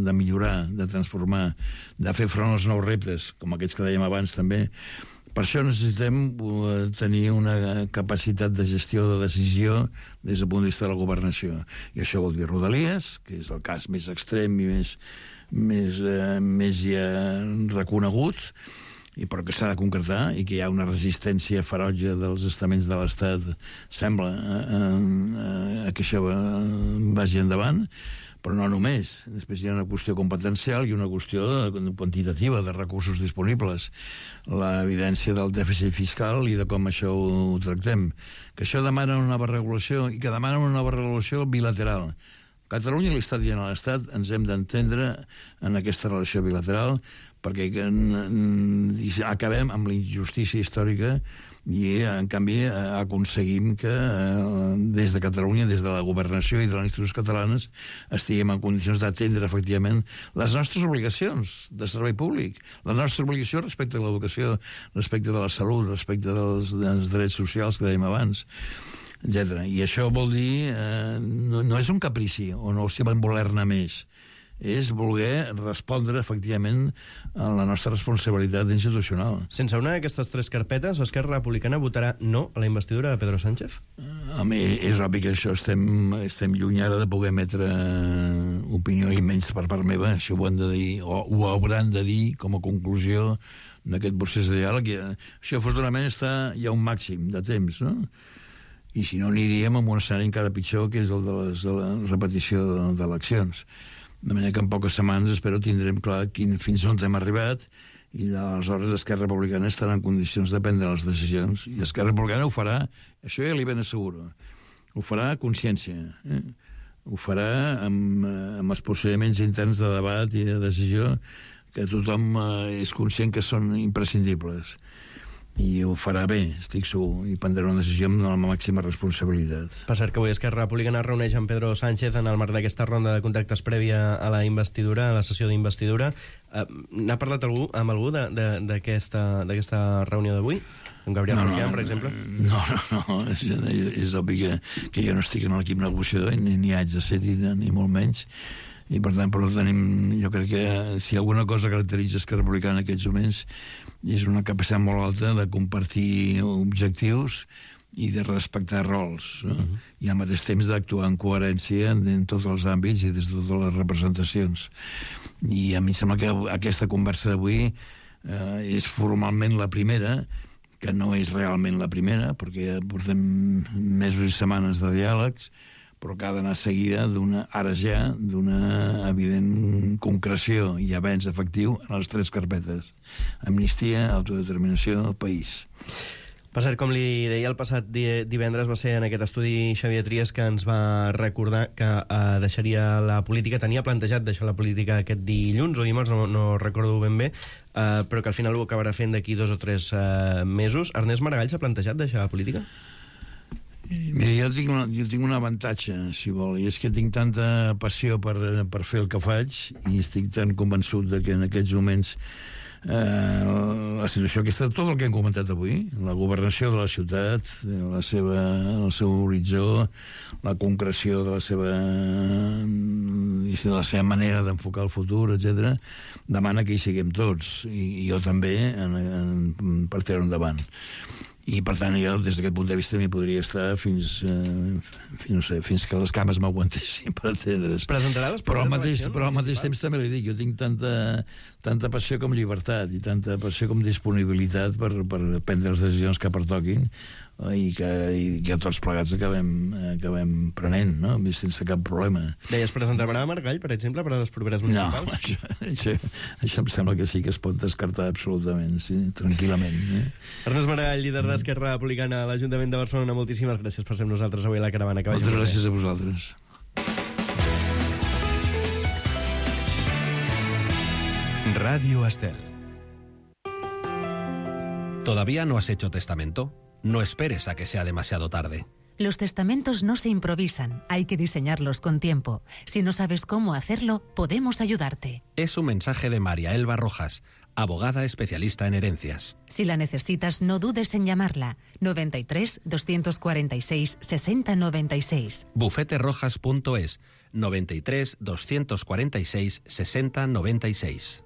Speaker 6: de millorar, de transformar, de fer front als nous reptes, com aquests que dèiem abans també. Per això necessitem tenir una capacitat de gestió, de decisió, des del punt de vista de la governació. I això vol dir Rodalies, que és el cas més extrem i més, més, eh, més ja reconegut, i però que s'ha de concretar i que hi ha una resistència ferotge dels estaments de l'Estat, sembla, a, a, a que això vagi endavant, però no només. Després hi ha una qüestió competencial i una qüestió quantitativa de recursos disponibles, l'evidència del dèficit fiscal i de com això ho tractem. Que això demana una nova regulació i que demana una nova regulació bilateral. Catalunya i l'Estat i l'Estat ens hem d'entendre en aquesta relació bilateral perquè acabem amb la injustícia històrica i, en canvi, aconseguim que des de Catalunya, des de la governació i de les institucions catalanes, estiguem en condicions d'atendre, efectivament, les nostres obligacions de servei públic, la nostra obligació respecte a l'educació, respecte de la salut, respecte dels, dels drets socials que dèiem abans, etcètera. I això vol dir... Eh, no, no és un caprici, o no si van voler-ne més, és voler respondre, efectivament, a la nostra responsabilitat institucional.
Speaker 5: Sense una d'aquestes tres carpetes, Esquerra Republicana votarà no a la investidura de Pedro Sánchez?
Speaker 6: A mi és obvi que això estem, estem lluny ara de poder emetre opinió, i menys per part meva, això ho han de dir, o ho hauran de dir com a conclusió d'aquest procés de diàleg. Això, afortunadament, està ja un màxim de temps, no? I si no, aniríem amb un escenari encara pitjor, que és el de, les, de la repetició d'eleccions. De manera que en poques setmanes espero tindrem clar quin, fins on hem arribat, i aleshores Esquerra Republicana estarà en condicions de prendre les decisions. I Esquerra Republicana ho farà, això ja li ben asseguro, ho farà a consciència, eh? Ho farà amb, amb els procediments interns de debat i de decisió que tothom eh, és conscient que són imprescindibles. I ho farà bé, estic segur, i prendrà una decisió amb la màxima responsabilitat.
Speaker 5: Per cert, que avui Esquerra Republicana reuneix amb Pedro Sánchez en el marc d'aquesta ronda de contactes prèvia a la investidura, a la sessió d'investidura. Uh, N'ha parlat algú amb algú d'aquesta reunió d'avui? Amb Gabriel no, Rufián, no, per exemple?
Speaker 6: No, no, no. És, és obvi que, que jo no estic en l'equip negociador, ni, ni haig de ser-hi, ni molt menys. I per tant, però tenim, jo crec que si alguna cosa caracteritza Esquerra Republicana en aquests moments és una capacitat molt alta de compartir objectius i de respectar rols, no? Uh-huh. I al mateix temps d'actuar en coherència en tots els àmbits i des de totes les representacions. I a mi em sembla que aquesta conversa d'avui eh, és formalment la primera, que no és realment la primera, perquè portem mesos i setmanes de diàlegs, però que ha d'anar seguida d'una, ara ja, d'una evident concreció i avenç efectiu en les tres carpetes. Amnistia, autodeterminació, país.
Speaker 5: Per cert, com li deia, el passat divendres va ser en aquest estudi Xavier Trias que ens va recordar que eh, deixaria la política, tenia plantejat deixar la política aquest dilluns o dimarts, no, no recordo ben bé, eh, però que al final ho acabarà fent d'aquí dos o tres eh, mesos. Ernest Maragall s'ha plantejat deixar la política?
Speaker 6: Mira, jo tinc, una, jo tinc un avantatge, si vol, i és que tinc tanta passió per, per fer el que faig i estic tan convençut de que en aquests moments eh, la situació aquesta, tot el que hem comentat avui, la governació de la ciutat, la seva, el seu horitzó, la concreció de la seva, de la seva manera d'enfocar el futur, etcètera, demana que hi siguem tots, i, i jo també, en, en, per tirar endavant. I, per tant, jo, des d'aquest punt de vista, m'hi podria estar fins, eh, fins, no sé, fins que les cames m'aguantessin, per entendre's.
Speaker 5: Presentarà les
Speaker 6: però al mateix,
Speaker 5: eleccions
Speaker 6: però al mateix temps també li dic, jo tinc tanta, tanta passió com llibertat i tanta passió com disponibilitat per, per prendre les decisions que pertoquin i que, i que tots plegats acabem, acabem prenent, no? Sense cap problema.
Speaker 5: Deies, presentarà Maragall, per exemple, per a les properes municipals?
Speaker 6: No, això, això, això em sembla que sí que es pot descartar absolutament, sí, tranquil·lament. Eh?
Speaker 5: Ernest Maragall, líder d'Esquerra Republicana a l'Ajuntament de Barcelona, moltíssimes gràcies per ser amb nosaltres avui a la caravana. Que
Speaker 6: Moltes gràcies a vosaltres.
Speaker 9: Radio Estel. ¿Todavía no has hecho testamento? No esperes a que sea demasiado tarde.
Speaker 10: Los testamentos no se improvisan, hay que diseñarlos con tiempo. Si no sabes cómo hacerlo, podemos ayudarte.
Speaker 9: Es un mensaje de María Elba Rojas, abogada especialista en herencias.
Speaker 10: Si la necesitas, no dudes en llamarla. noventa y tres, doscientos cuarenta y seis, sesenta noventa y seis.
Speaker 9: bufete rojas punto es, noventa y tres, doscientos cuarenta y seis, sesenta noventa y seis.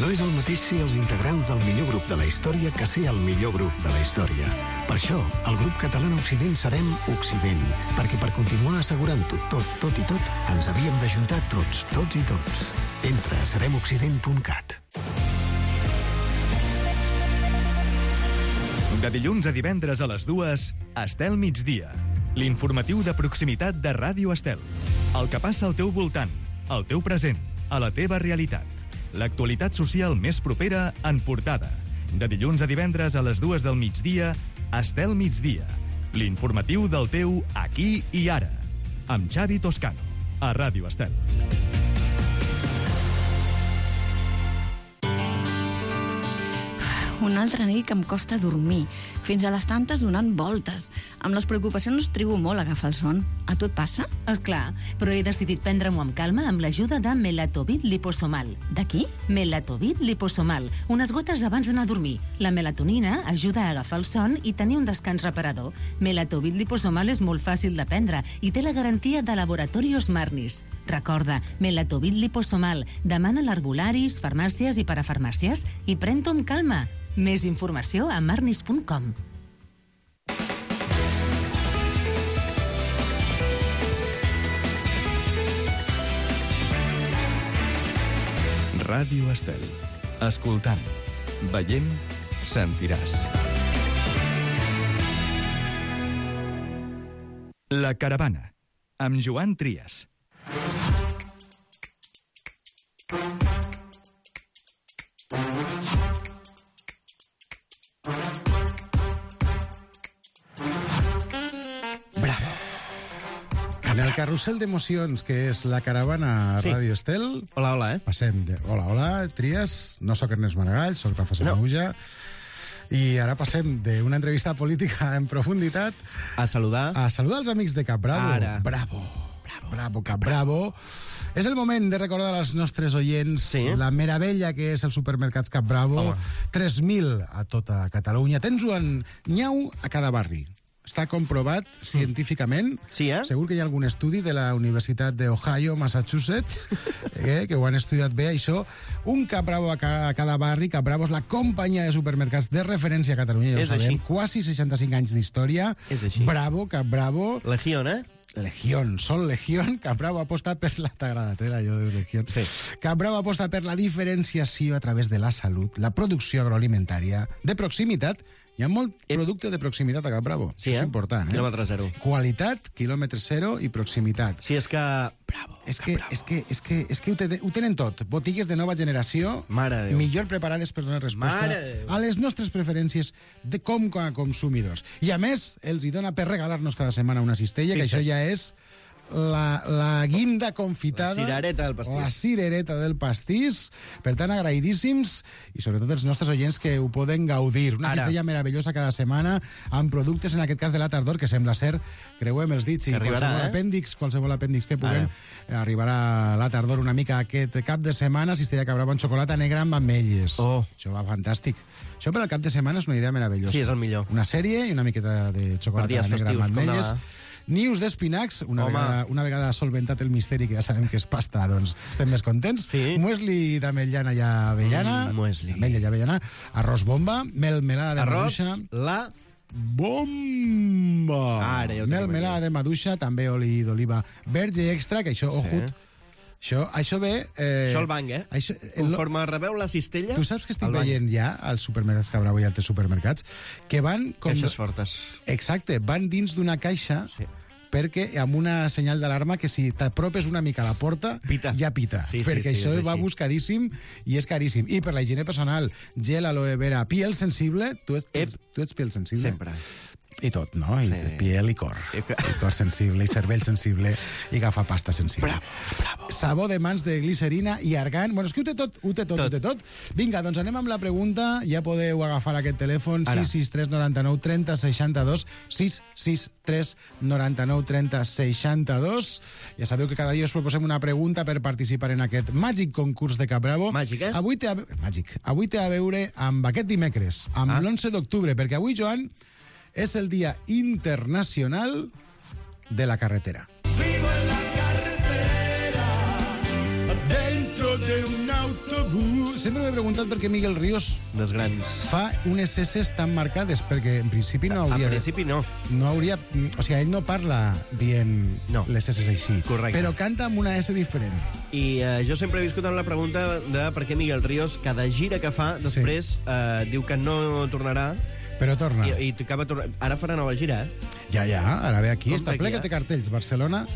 Speaker 11: No és el mateix ser els integrants del millor grup de la història que ser el millor grup de la història. Per això, el grup català Occident serem Occident, perquè per continuar assegurant-ho tot, tot i tot, ens havíem d'ajuntar tots, tots i tots. Entra a serem occident punt cat.
Speaker 12: De dilluns a divendres a les dues, Estel migdia. L'informatiu de proximitat de Ràdio Estel. El que passa al teu voltant, al teu present, a la teva realitat. L'actualitat social més propera en portada. De dilluns a divendres a les dues del migdia, Estel migdia. L'informatiu del teu aquí i ara. Amb Xavi Toscano, a Ràdio Estel.
Speaker 13: Una altra nit que em costa dormir, fins a les tantes donant voltes. Amb les preocupacions trigo molt a agafar el son. A tu et passa?
Speaker 10: Esclar, però he decidit prendre-m'ho amb calma amb l'ajuda de Melatovit liposomal.
Speaker 13: De qui?
Speaker 10: Melatovit liposomal, unes gotes abans d'anar a dormir. La melatonina ajuda a agafar el son i tenir un descans reparador. Melatovit liposomal és molt fàcil de prendre i té la garantia de Laboratorios Marnis. Recorda, Melatovit liposomal. Demana a l'herbolaris, farmàcies i parafarmàcies i pren-t'ho amb calma. Més informació a marnis punt com.
Speaker 12: Ràdio Estel. Escoltant, veient, sentiràs. La caravana, amb Joan Trias.
Speaker 14: En el carrusel d'emocions, que és la caravana a
Speaker 5: Sí.
Speaker 14: Ràdio Estel...
Speaker 5: Hola, hola, eh?
Speaker 14: Passem de... Hola, hola, Trias. No sóc Ernest Maragall, sóc Rafa Sanahuja. I ara passem d'una entrevista política en profunditat...
Speaker 5: A saludar...
Speaker 14: A saludar els amics de Cap Bravo.
Speaker 5: Ara.
Speaker 14: Bravo. Bravo. Bravo, Cap Bravo. És el moment de recordar als nostres oients
Speaker 5: Sí.
Speaker 14: la meravella que és el supermercats Cap Bravo.
Speaker 5: Home.
Speaker 14: tres mil a tota Catalunya. Tens-ho en nyau a cada barri. Està comprovat científicament.
Speaker 5: Sí, eh?
Speaker 14: Segur que hi ha algun estudi de la Universitat d'Ohio, Massachusetts, eh, que ho han estudiat bé, això. Un Cap Bravo a cada, a cada barri. Cap Bravo és la companyia de supermercats de referència a Catalunya, ja ho
Speaker 5: És
Speaker 14: sabem.
Speaker 5: així.
Speaker 14: Quasi seixanta-cinc anys d'història.
Speaker 5: És així.
Speaker 14: Bravo, Cap Bravo.
Speaker 5: Legión, eh?
Speaker 14: Legión, sol Legión. Cap Bravo aposta per la... T'ha agradat, eh, allò de Legión?
Speaker 5: Sí.
Speaker 14: Cap Bravo aposta per la diferenciació a través de la salut, la producció agroalimentària, de proximitat. Hi ha molt producte de proximitat a Cap Bravo.
Speaker 5: Sí,
Speaker 14: Això
Speaker 5: eh?
Speaker 14: és important, eh?
Speaker 5: Quilòmetre zero.
Speaker 14: Qualitat, quilòmetre zero i proximitat.
Speaker 5: Sí, és que... Bravo,
Speaker 14: És que, és que, és que, és que ho, te, ho tenen tot. Botigues de nova generació,
Speaker 5: Mare de Déu.
Speaker 14: millor preparades per donar resposta
Speaker 5: Mare de Déu.
Speaker 14: a les nostres preferències de com a consumidors. I a més, els hi dona per regalar-nos cada setmana una cistella, que
Speaker 5: Fixa't.
Speaker 14: això ja és la, la guinda confitada.
Speaker 5: La cirereta del pastís.
Speaker 14: La cirereta del pastís. Per tant, agraïdíssims, i sobretot els nostres oients que ho poden gaudir. Una
Speaker 5: Ara.
Speaker 14: cistella meravellosa cada setmana, amb productes, en aquest cas de la tardor, que sembla ser, creuem els dits, i
Speaker 5: Que arribarà,
Speaker 14: qualsevol
Speaker 5: eh?
Speaker 14: apèndix, qualsevol apèndix que puguem,
Speaker 5: Ara.
Speaker 14: arribarà la tardor una mica aquest cap de setmana, cistella Cap Bravo amb xocolata negra amb ametlles.
Speaker 5: Oh.
Speaker 14: Això va fantàstic. Això per al cap de setmana és una idea meravellosa.
Speaker 5: Sí, és el millor.
Speaker 14: Una sèrie i una miqueta de
Speaker 5: Per
Speaker 14: xocolata
Speaker 5: dies
Speaker 14: negra amb
Speaker 5: festius, com
Speaker 14: ametlles.
Speaker 5: demà.
Speaker 14: Nius d'espinacs, una, vegada, una vegada solventat el misteri, que ja sabem que és pasta, doncs estem més contents. Sí. Muesli d'ametllana i avellana. Mm, muesli. Ametlla i avellana. Arròs bomba, mel melada de
Speaker 5: Arròs,
Speaker 14: maduixa.
Speaker 5: la...
Speaker 14: Bomba!
Speaker 5: Ara, ja ho
Speaker 14: mel
Speaker 5: tenim
Speaker 14: melada
Speaker 5: aquí.
Speaker 14: de maduixa, també oli d'oliva verge extra, que això,
Speaker 5: Sí.
Speaker 14: ojut, això, això ve... Eh,
Speaker 5: Això el banc, eh?
Speaker 14: Això,
Speaker 5: Conforme rebeu la cistella...
Speaker 14: Tu saps que estic
Speaker 5: el banc.
Speaker 14: veient ja als supermercats Cabravo i altres supermercats que van... Com...
Speaker 5: Caixes fortes.
Speaker 14: Exacte, van dins d'una caixa sí. perquè amb una senyal d'alarma que si t'apropes una mica a la porta
Speaker 5: pita.
Speaker 14: ja pita,
Speaker 5: Sí, sí,
Speaker 14: perquè
Speaker 5: sí,
Speaker 14: això
Speaker 5: és
Speaker 14: va
Speaker 5: així.
Speaker 14: buscadíssim i és caríssim. I per la higiene personal, gel, aloe vera, piel sensible, tu ets, tu ets piel sensible?
Speaker 5: Sempre.
Speaker 14: I tot, no? I
Speaker 5: Sí.
Speaker 14: piel i cor. I cor sensible, i cervell sensible, i agafa pasta sensible.
Speaker 5: Bravo, bravo.
Speaker 14: Sabó de mans de glicerina i argan. Bueno, és que ho té tot, ho té tot, tot. ho té tot. Vinga, doncs anem amb la pregunta. Ja podeu agafar aquest telèfon,
Speaker 5: Ara.
Speaker 14: sis sis tres noranta-nou trenta seixanta-dos, sis sis tres noranta-nou trenta seixanta-dos. Ja sabeu que cada dia us proposem una pregunta per participar en aquest màgic concurs de Cap Bravo.
Speaker 5: Màgic, eh?
Speaker 14: Avui té a... Màgic. Avui té a veure amb aquest dimecres, amb
Speaker 5: Ah.
Speaker 14: l'onze d'octubre, perquè avui, Joan, és el Dia Internacional de la Carretera. Dentro de un autobús. Sempre m'he preguntat per què Miguel Ríos
Speaker 5: Dels grans.
Speaker 14: fa unes esses tan marcades, perquè en principi no hauria...
Speaker 5: En principi no.
Speaker 14: No hauria... O sigui, ell no parla dient
Speaker 5: no.
Speaker 14: les esses així.
Speaker 5: Correcte.
Speaker 14: Però canta amb una S diferent.
Speaker 5: I eh, jo sempre he viscut amb la pregunta de per què Miguel Ríos, cada gira que fa, després sí. eh, diu que no tornarà.
Speaker 14: Però torna.
Speaker 5: I, i acaba tornant. Ara farà nova gira, eh?
Speaker 14: Ja, ja, ara ve aquí,
Speaker 5: Com
Speaker 14: està
Speaker 5: ve
Speaker 14: ple
Speaker 5: aquí,
Speaker 14: que té
Speaker 5: eh?
Speaker 14: cartells. Barcelona,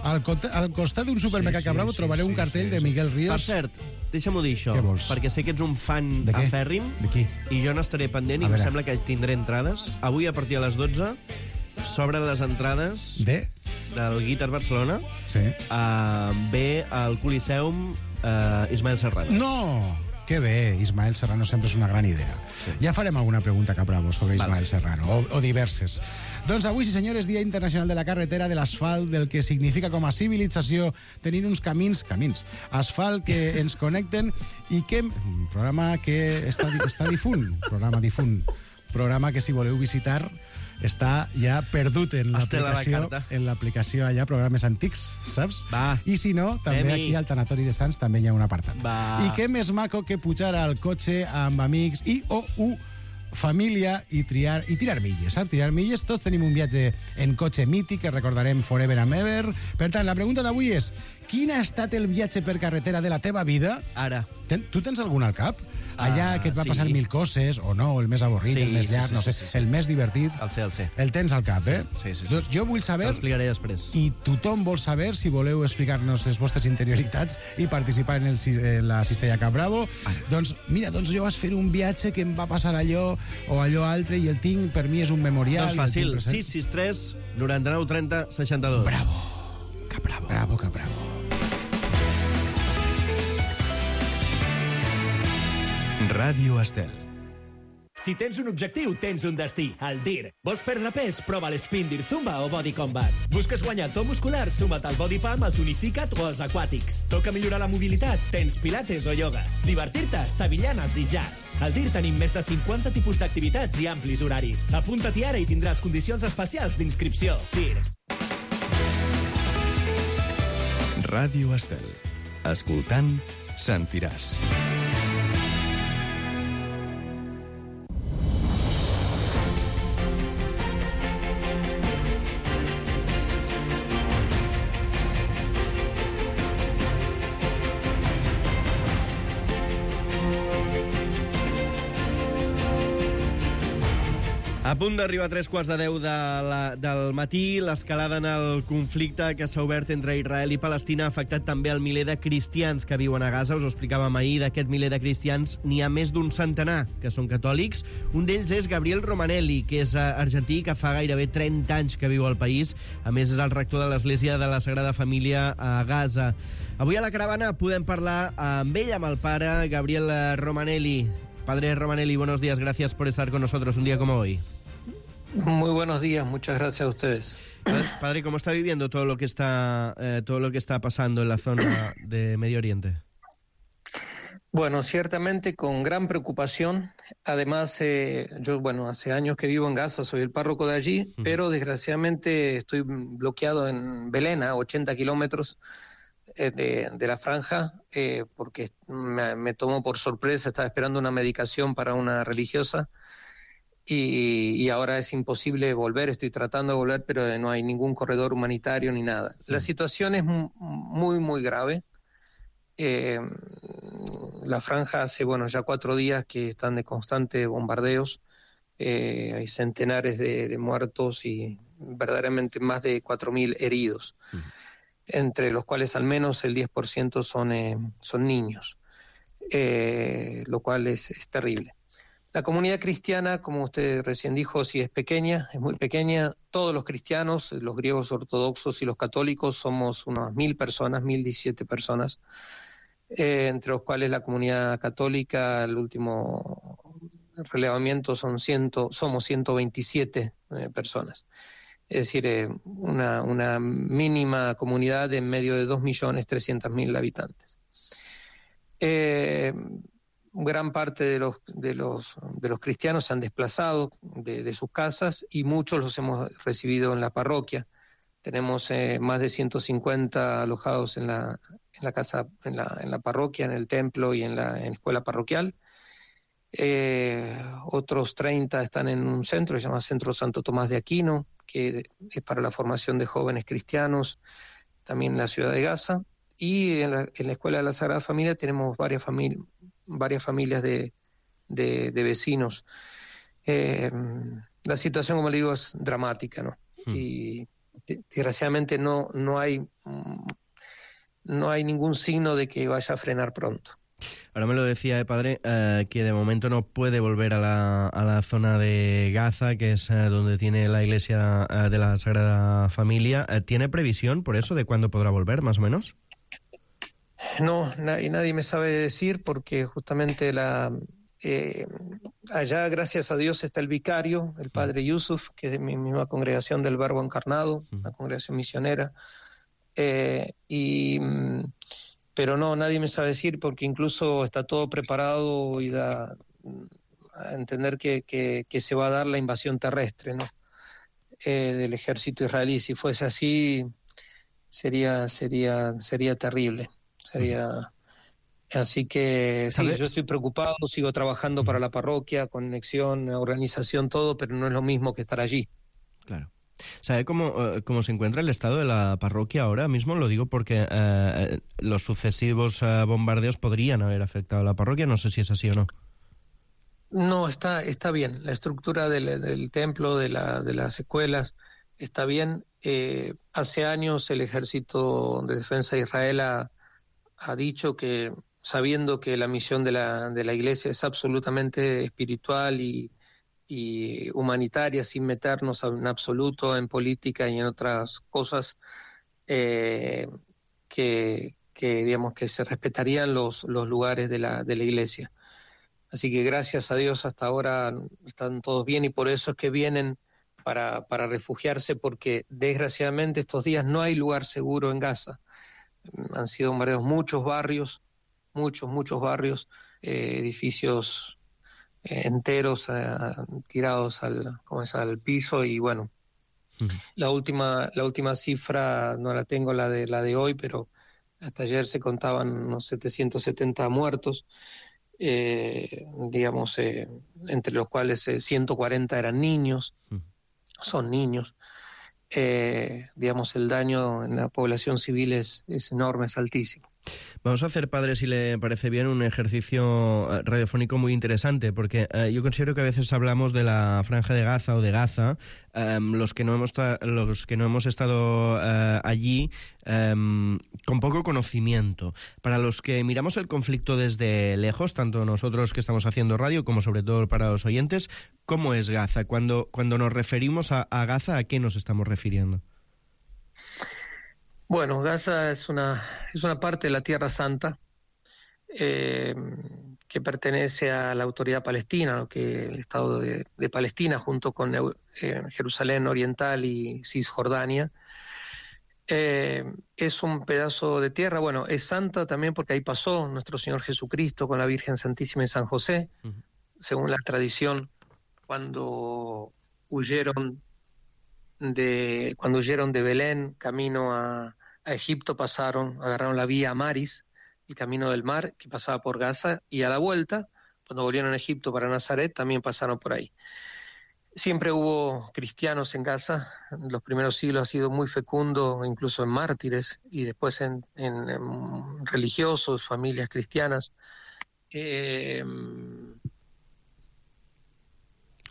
Speaker 14: al, al costat d'un supermercat
Speaker 5: Sí, sí,
Speaker 14: Cabravo
Speaker 5: sí,
Speaker 14: trobareu
Speaker 5: sí,
Speaker 14: un cartell
Speaker 5: sí,
Speaker 14: de
Speaker 5: sí.
Speaker 14: Miguel Ríos.
Speaker 5: Per cert, deixa'm-ho dir això.
Speaker 14: Què vols?
Speaker 5: Perquè sé que ets un fan
Speaker 14: De què?
Speaker 5: afèrrim.
Speaker 14: De qui?
Speaker 5: I jo n'estaré pendent
Speaker 14: A
Speaker 5: i em
Speaker 14: veure.
Speaker 5: sembla que tindré entrades. Avui, a partir de les dotze, s'obren les entrades
Speaker 14: De?
Speaker 5: del Guitar Barcelona.
Speaker 14: Sí.
Speaker 5: Uh, ve al Coliseum uh, Ismael Serrano.
Speaker 14: No! Que bé, Ismael Serrano sempre és una gran idea. Sí. Ja farem alguna pregunta, Cabravo, sobre Ismael vale. Serrano, o, o diverses. Doncs avui, sí senyores, Dia Internacional de la Carretera, de l'asfalt, del que significa com a civilització tenir uns camins, camins, asfalt que ens connecten i que... Un programa que està, està difunt, programa difunt, programa que si voleu visitar està ja perdut en
Speaker 5: Estela la
Speaker 14: l'aplicació,
Speaker 5: carta.
Speaker 14: en l'aplicació allà, programes antics, saps?
Speaker 5: Va.
Speaker 14: I si no, també
Speaker 5: Premi.
Speaker 14: aquí al Tanatori de Sants també hi ha un apartat.
Speaker 5: Va.
Speaker 14: I què més maco que pujar al cotxe amb amics i o u família i triar i tirar milles, saps? Tirar milles. Tots tenim un viatge en cotxe mític que recordarem forever and ever. Per tant, la pregunta d'avui és: quin ha estat el viatge per carretera de la teva vida?
Speaker 5: Ara.
Speaker 14: Ten, tu tens algun al cap? Allà
Speaker 5: Ah,
Speaker 14: que et va
Speaker 5: sí.
Speaker 14: passar mil coses, o no, el més avorrit,
Speaker 5: Sí,
Speaker 14: el més
Speaker 5: sí,
Speaker 14: llarg,
Speaker 5: sí,
Speaker 14: no
Speaker 5: sí,
Speaker 14: sé,
Speaker 5: sí, sí.
Speaker 14: el més divertit.
Speaker 5: El sé, el sé.
Speaker 14: El tens al cap, eh?
Speaker 5: Sí, sí, sí.
Speaker 14: Doncs jo vull saber...
Speaker 5: T'explicaré després.
Speaker 14: I tothom vol saber, si voleu explicar-nos les vostres interioritats i participar en, el, en la cistella Cap Bravo, ah. doncs mira, doncs jo vaig fer un viatge que em va passar allò o allò altre i el tinc, per mi és un memorial.
Speaker 5: Doncs fàcil, sis sis tres noranta-nou trenta seixanta-dos.
Speaker 14: Bravo.
Speaker 5: Cap Bravo.
Speaker 14: Bravo, Cap Bravo.
Speaker 12: Ràdio Estel.
Speaker 15: Si tens un objectiu, tens un destí. El D I R. Vols perdre pes? Prova l'Spin D I R Zumba o Body Combat. Busques guanyar to muscular? Suma't al Body Pump, al Tonificat o als Aquàtics. Toca millorar la mobilitat? Tens pilates o ioga. Divertir-te? Sevillanes i jazz. Al D I R tenim més de cinquanta tipus d'activitats i amplis horaris. Apunta-t'hi ara i tindràs condicions especials d'inscripció. D I R.
Speaker 12: Ràdio Estel. Escoltant, sentiràs.
Speaker 5: A punt d'arribar a tres quarts de deu de la, del matí, l'escalada en el conflicte que s'ha obert entre Israel i Palestina ha afectat també el miler de cristians que viuen a Gaza. Us ho explicàvem ahir, d'aquest miler de cristians n'hi ha més d'un centenar que són catòlics. Un d'ells és Gabriel Romanelli, que és argentí, que fa gairebé trenta anys que viu al país. A més, és el rector de l'Església de la Sagrada Família a Gaza. Avui a la caravana podem parlar amb ell, amb el pare Gabriel Romanelli. Padre Romanelli, buenos días, gracias por estar con nosotros un día como hoy.
Speaker 16: Muy buenos días, muchas gracias a ustedes.
Speaker 5: Padre, ¿cómo está viviendo todo lo que está eh, todo lo que está pasando en la zona de Medio Oriente?
Speaker 16: Bueno, ciertamente con gran preocupación. Además, eh, yo, bueno, hace años que vivo en Gaza, soy el párroco de allí, uh-huh. pero desgraciadamente estoy bloqueado en Belén, a ochenta kilómetros eh, de, de la franja, eh, porque me, me tomó por sorpresa, estaba esperando una medicación para una religiosa y, y ahora es imposible volver, estoy tratando de volver, pero no hay ningún corredor humanitario ni nada. Uh-huh. La situación es muy, muy grave. Eh, la franja hace, bueno, ya cuatro días que están de constantes bombardeos, eh, hay centenares de, de muertos y verdaderamente más de cuatro mil heridos, uh-huh. entre los cuales al menos el diez por ciento son, eh, son niños, eh, lo cual es, es terrible. La comunidad cristiana, como usted recién dijo, sí es pequeña, es muy pequeña. Todos los cristianos, los griegos ortodoxos y los católicos, somos unas mil personas, mil diecisiete personas. Eh, entre los cuales la comunidad católica, el último relevamiento son ciento, somos ciento veintisiete eh, personas. Es decir, eh, una, una mínima comunidad en medio de dos millones trescientos mil habitantes. Eh, gran parte de los, de los, de los cristianos se han desplazado de, de sus casas y muchos los hemos recibido en la parroquia. Tenemos eh, más de ciento cincuenta alojados en la, en la casa, en la, en la parroquia, en el templo y en la, en la escuela parroquial. Eh, otros treinta están en un centro que se llama Centro Santo Tomás de Aquino, que es para la formación de jóvenes cristianos, también en la ciudad de Gaza. Y en la, en la escuela de la Sagrada Familia tenemos varias, famili- varias familias de, de, de vecinos. Eh, la situación, como le digo, es dramática, ¿no? Hmm. Y desgraciadamente no, no hay no hay ningún signo de que vaya a frenar pronto.
Speaker 17: Ahora me lo decía, eh, padre, eh, que de momento no puede volver a la, a la zona de Gaza, que es eh, donde tiene la iglesia eh, de la Sagrada Familia. Eh, ¿Tiene previsión por eso de cuándo podrá volver, más o menos?
Speaker 16: No, nadie, nadie me sabe decir, porque justamente la eh, allá, gracias a Dios, está el vicario, el padre Yusuf, que es de mi misma congregación del Verbo Encarnado, una congregación misionera, eh, y, pero no, nadie me sabe decir, porque incluso está todo preparado y da a entender que, que, que se va a dar la invasión terrestre, ¿no? Eh, del ejército israelí. Si fuese así, sería, sería, sería terrible, sería... Así que sí, yo estoy preocupado, sigo trabajando para la parroquia, conexión, organización, todo, pero no es lo mismo que estar allí.
Speaker 17: Claro. ¿Sabe cómo, cómo se encuentra el estado de la parroquia ahora mismo? Lo digo porque eh, los sucesivos eh, bombardeos podrían haber afectado a la parroquia, no sé si es así o no.
Speaker 16: No, está, está bien. La estructura del, del templo, de, la, de las escuelas, está bien. Eh, hace años el Ejército de Defensa de Israel ha, ha dicho que, sabiendo que la misión de la, de la Iglesia es absolutamente espiritual y, y humanitaria, sin meternos en absoluto en política y en otras cosas, eh, que, que, digamos, que se respetarían los, los lugares de la, de la Iglesia. Así que gracias a Dios hasta ahora están todos bien, y por eso es que vienen para, para refugiarse, porque desgraciadamente estos días no hay lugar seguro en Gaza. Han sido bombardeados muchos barrios, muchos, muchos barrios, eh, edificios eh, enteros eh, tirados al, ¿cómo es?, al piso, y bueno, uh-huh. la última la última cifra no la tengo, la de la de hoy, pero hasta ayer se contaban unos setecientos setenta muertos, eh, digamos, eh, entre los cuales eh, ciento cuarenta eran niños, uh-huh. son niños. Eh, digamos, el daño en la población civil es, es enorme, es altísimo.
Speaker 17: Vamos a hacer, padre, si le parece bien, un ejercicio radiofónico muy interesante, porque eh, yo considero que a veces hablamos de la Franja de Gaza o de Gaza, eh, los que no hemos ta- los que no hemos estado eh, allí, eh, con poco conocimiento. Para los que miramos el conflicto desde lejos, tanto nosotros que estamos haciendo radio como sobre todo para los oyentes, ¿cómo es Gaza? Cuando, cuando nos referimos a, a Gaza, ¿a qué nos estamos refiriendo?
Speaker 16: Bueno, Gaza es una, es una parte de la Tierra Santa eh, que pertenece a la Autoridad Palestina, lo que el Estado de, de Palestina, junto con eh, Jerusalén Oriental y Cisjordania. Eh, es un pedazo de tierra, bueno, es santa también porque ahí pasó nuestro Señor Jesucristo con la Virgen Santísima y San José, uh-huh. según la tradición, cuando huyeron de, cuando huyeron de Belén, camino a, a Egipto, pasaron, agarraron la vía Maris, el camino del mar que pasaba por Gaza, y a la vuelta, cuando volvieron a Egipto para Nazaret, también pasaron por ahí. Siempre hubo cristianos en Gaza, en los primeros siglos ha sido muy fecundo, incluso en mártires, y después en, en, en religiosos, familias cristianas. Eh...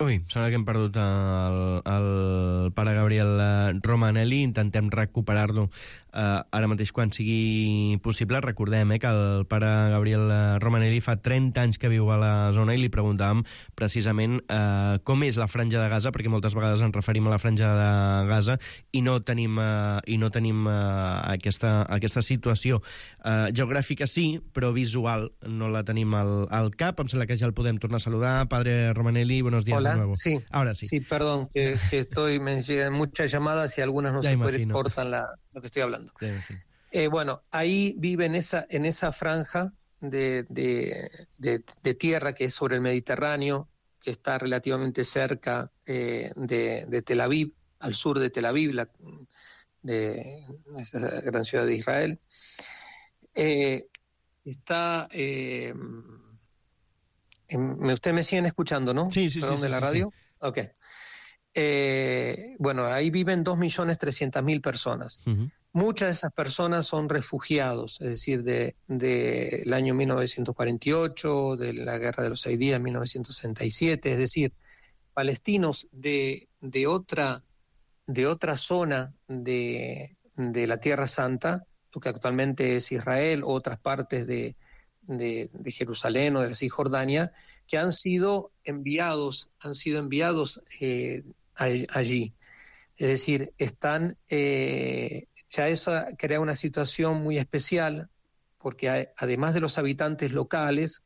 Speaker 17: Ui, sembla que hem perdut el, el pare Gabriel Romanelli, intentem recuperar-lo eh, ara mateix quan sigui possible. Recordem eh, que el pare Gabriel Romanelli fa trenta anys que viu a la zona i li preguntàvem precisament eh, com és la franja de Gaza, perquè moltes vegades ens referim a la franja de Gaza i no tenim, eh, i no tenim eh, aquesta, aquesta situació eh, geogràfica sí, però visual no la tenim al, al cap. Em sembla que ja el podem tornar a saludar. Padre Romanelli, buenos días.
Speaker 16: Hola.
Speaker 17: Nuevo.
Speaker 16: Sí,
Speaker 17: ahora sí.
Speaker 16: Sí, perdón, que, que estoy, me llegan muchas llamadas y algunas no ya se pueden, cortan la, lo que estoy hablando. Eh, bueno, ahí vive en esa, en esa franja de, de, de, de tierra que es sobre el Mediterráneo, que está relativamente cerca eh, de, de Tel Aviv, al sur de Tel Aviv, la, de esa gran ciudad de Israel. Eh, está... Eh, Ustedes me siguen escuchando, ¿no?
Speaker 17: Sí, sí,
Speaker 16: Perdón,
Speaker 17: sí.
Speaker 16: de
Speaker 17: sí,
Speaker 16: la
Speaker 17: sí,
Speaker 16: radio.
Speaker 17: sí.
Speaker 16: Ok. Eh, bueno, ahí viven dos millones trescientas mil personas.
Speaker 17: Uh-huh.
Speaker 16: Muchas de esas personas son refugiados, es decir, del de, de año mil novecientos cuarenta y ocho, de la Guerra de los Seis Días, mil novecientos sesenta y siete, es decir, palestinos de, de, otra, de otra zona de, de la Tierra Santa, lo que actualmente es Israel, o otras partes de De, de Jerusalén o de la Cisjordania, que han sido enviados, han sido enviados eh, allí. Es decir, están, eh, ya eso crea una situación muy especial, porque hay, además de los habitantes locales,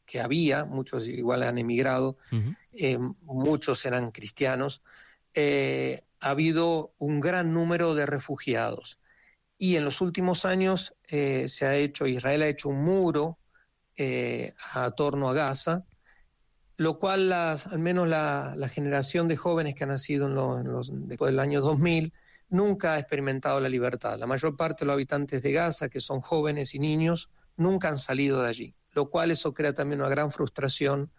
Speaker 16: que había, muchos igual han emigrado, uh-huh. eh, muchos eran cristianos, eh, ha habido un gran número de refugiados. Y en los últimos años eh, se ha hecho, Israel ha hecho un muro eh, a torno a Gaza, lo cual las, al menos la, la generación de jóvenes que han nacido en los, en los, después del año dos mil nunca ha experimentado la libertad. La mayor parte de los habitantes de Gaza, que son jóvenes y niños, nunca han salido de allí, lo cual eso crea también una gran frustración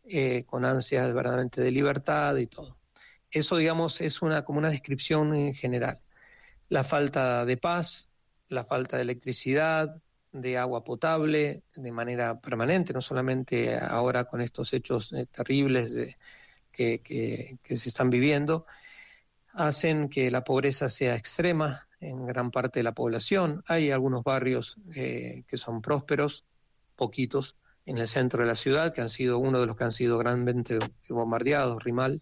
Speaker 16: eh, con ansias verdaderamente de libertad y todo. Eso, digamos, es una, como una descripción en general. La falta de paz, la falta de electricidad, de agua potable de manera permanente, no solamente ahora con estos hechos eh, terribles de, que, que, que se están viviendo, hacen que la pobreza sea extrema en gran parte de la población. Hay algunos barrios eh, que son prósperos, poquitos, en el centro de la ciudad, que han sido uno de los que han sido grandemente bombardeados, Rimal.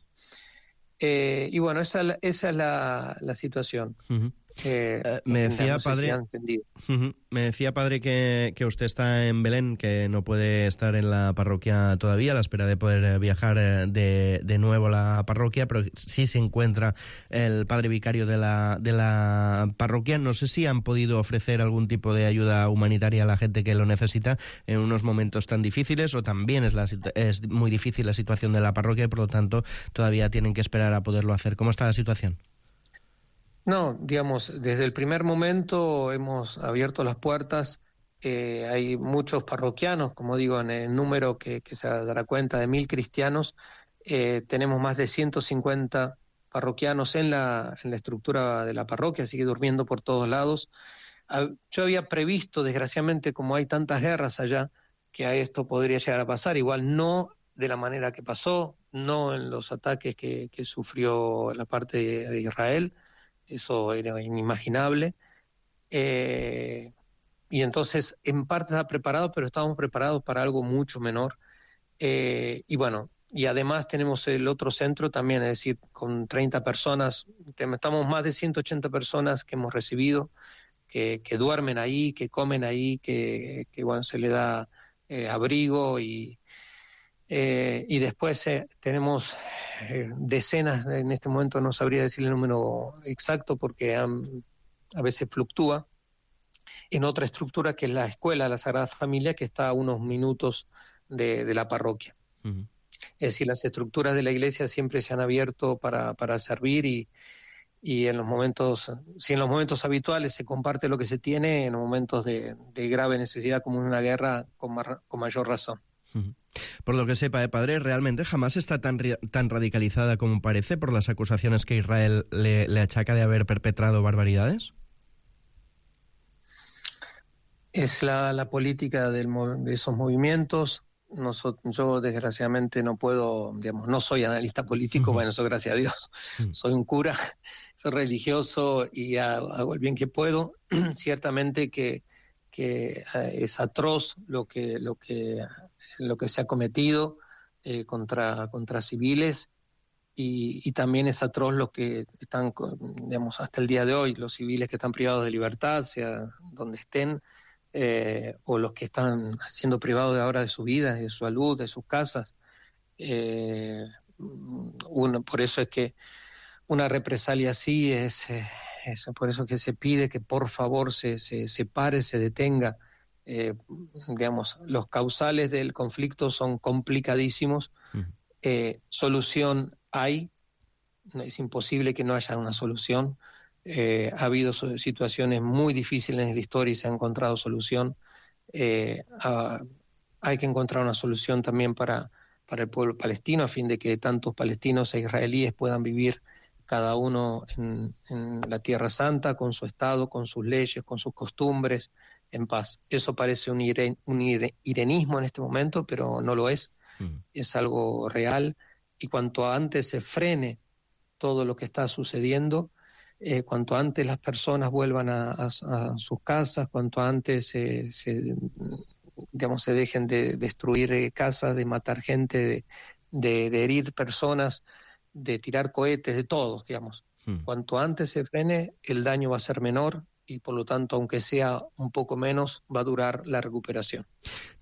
Speaker 16: Eh, y bueno, esa, esa es la, la situación. Uh-huh. Eh,
Speaker 17: uh, me decía,
Speaker 16: no sé
Speaker 17: padre,
Speaker 16: si han entendido.
Speaker 17: Uh-huh. Me decía, padre, que, que usted está en Belén, que no puede estar en la parroquia todavía, a la espera de poder viajar de, de nuevo a la parroquia, pero sí se encuentra el padre vicario de la, de la parroquia. No sé si han podido ofrecer algún tipo de ayuda humanitaria a la gente que lo necesita en unos momentos tan difíciles, o también es, la, es muy difícil la situación de la parroquia y por lo tanto todavía tienen que esperar a poderlo hacer. ¿Cómo está la situación?
Speaker 16: No, digamos, desde el primer momento hemos abierto las puertas. Eh, hay muchos parroquianos, como digo, en el número que, que se dará cuenta de mil cristianos. Eh, tenemos más de ciento cincuenta parroquianos en la, en la estructura de la parroquia, sigue durmiendo por todos lados. Yo había previsto, desgraciadamente, como hay tantas guerras allá, que a esto podría llegar a pasar. Igual no de la manera que pasó, no en los ataques que, que sufrió la parte de, de Israel. Eso era inimaginable. Eh, y entonces, en parte está preparado, pero estábamos preparados para algo mucho menor. Eh, y bueno, y además tenemos el otro centro también, es decir, con treinta personas, estamos más de ciento ochenta personas que hemos recibido, que, que duermen ahí, que comen ahí, que, que bueno, se le da eh, abrigo y... Eh, y después eh, tenemos eh, decenas, en este momento no sabría decir el número exacto porque han, a veces fluctúa, en otra estructura que es la escuela, la Sagrada Familia, que está a unos minutos de, de la parroquia.
Speaker 17: Uh-huh.
Speaker 16: Es decir, las estructuras de la iglesia siempre se han abierto para, para servir y, y en los momentos, si en los momentos habituales se comparte lo que se tiene, en los momentos de, de grave necesidad como en una guerra, con, mar, con mayor razón.
Speaker 17: Uh-huh. Por lo que sepa, eh, padre, ¿realmente Hamas está tan, tan radicalizada como parece por las acusaciones que Israel le, le achaca de haber perpetrado barbaridades?
Speaker 16: Es la, la política del, de esos movimientos. Nosotros, yo desgraciadamente no puedo, digamos, no soy analista político, uh-huh. bueno, eso gracias a Dios. Uh-huh. Soy un cura, soy religioso y hago el bien que puedo. Ciertamente que, que es atroz lo que, lo que, lo que se ha cometido eh, contra, contra civiles y, y también es atroz lo que están, digamos, hasta el día de hoy, los civiles que están privados de libertad, sea donde estén, Eh, o los que están siendo privados de ahora de su vida, de su salud, de sus casas. Eh, uno, por eso es que una represalia así es, es por eso que se pide que por favor se, se, se pare, se detenga. Eh, digamos, los causales del conflicto son complicadísimos. Uh-huh. Eh, solución hay, es imposible que no haya una solución. Eh, ha habido situaciones muy difíciles en la historia y se ha encontrado solución. Eh, a, hay que encontrar una solución también para, para el pueblo palestino, a fin de que tantos palestinos e israelíes puedan vivir cada uno en, en la Tierra Santa, con su Estado, con sus leyes, con sus costumbres, en paz. Eso parece un, ire, un ire, irenismo en este momento, pero no lo es. Mm. Es algo real. Y cuanto antes se frene todo lo que está sucediendo, Eh, cuanto antes las personas vuelvan a, a, a sus casas, cuanto antes se, se, digamos, se dejen de destruir eh, casas, de matar gente, de, de, de herir personas, de tirar cohetes, de todos, digamos. Hmm. Cuanto antes se frene, el daño va a ser menor y por lo tanto, aunque sea un poco menos, va a durar la recuperación.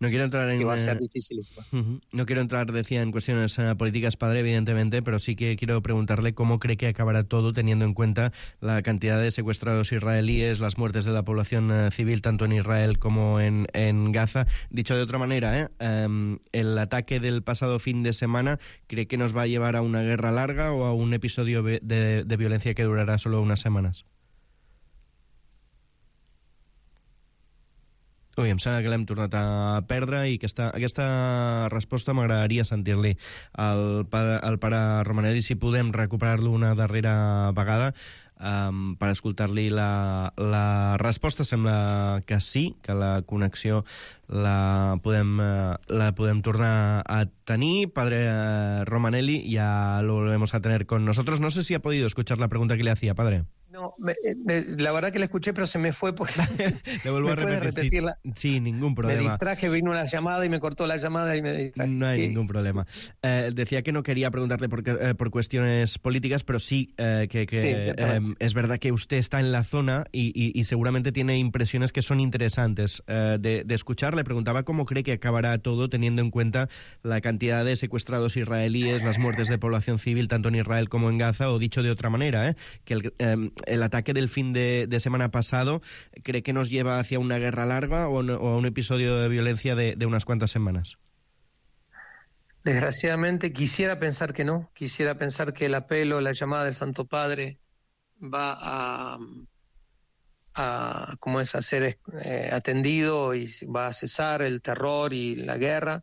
Speaker 17: No quiero entrar en...
Speaker 16: Que va a ser dificilísimo.
Speaker 17: Uh-huh. No quiero entrar, decía, en cuestiones uh, políticas, padre, evidentemente, pero sí que quiero preguntarle cómo cree que acabará todo teniendo en cuenta la cantidad de secuestrados israelíes, las muertes de la población uh, civil, tanto en Israel como en, en Gaza. Dicho de otra manera, ¿eh? um, el ataque del pasado fin de semana, ¿cree que nos va a llevar a una guerra larga o a un episodio de, de, de violencia que durará solo unas semanas? Ui, em sembla que l'hem tornat a perdre i aquesta, aquesta resposta m'agradaria sentir-li al, al pare Romanelli, si podem recuperar-lo una darrera vegada um, per escoltar-li la, la resposta. Sembla que sí, que la connexió la podem, la podem tornar a tenir. Padre Romanelli, ya lo volvemos a tener con nosotros. No sé si ha podido escuchar la pregunta que le hacía, padre.
Speaker 16: No, me, me, la verdad que la escuché, pero se me fue porque
Speaker 17: le vuelvo
Speaker 16: me
Speaker 17: a repetir.
Speaker 16: repetirla.
Speaker 17: Sí, sí, ningún problema.
Speaker 16: Me distraje, vino una llamada y me cortó la llamada y me distraje.
Speaker 17: No hay ningún problema. Eh, decía que no quería preguntarle por, eh, por cuestiones políticas, pero sí eh, que, que
Speaker 16: sí,
Speaker 17: eh, es verdad que usted está en la zona y, y, y seguramente tiene impresiones que son interesantes eh, de, de escuchar. Le preguntaba cómo cree que acabará todo teniendo en cuenta la cantidad de secuestrados israelíes, las muertes de población civil tanto en Israel como en Gaza, o dicho de otra manera, eh, que el, eh, el ataque del fin de, de semana pasado, ¿cree que nos lleva hacia una guerra larga o, no, o a un episodio de violencia de, de unas cuantas semanas?
Speaker 16: Desgraciadamente quisiera pensar que no, quisiera pensar que el apelo, la llamada del Santo Padre va a, a como es, a ser eh, atendido y va a cesar el terror y la guerra,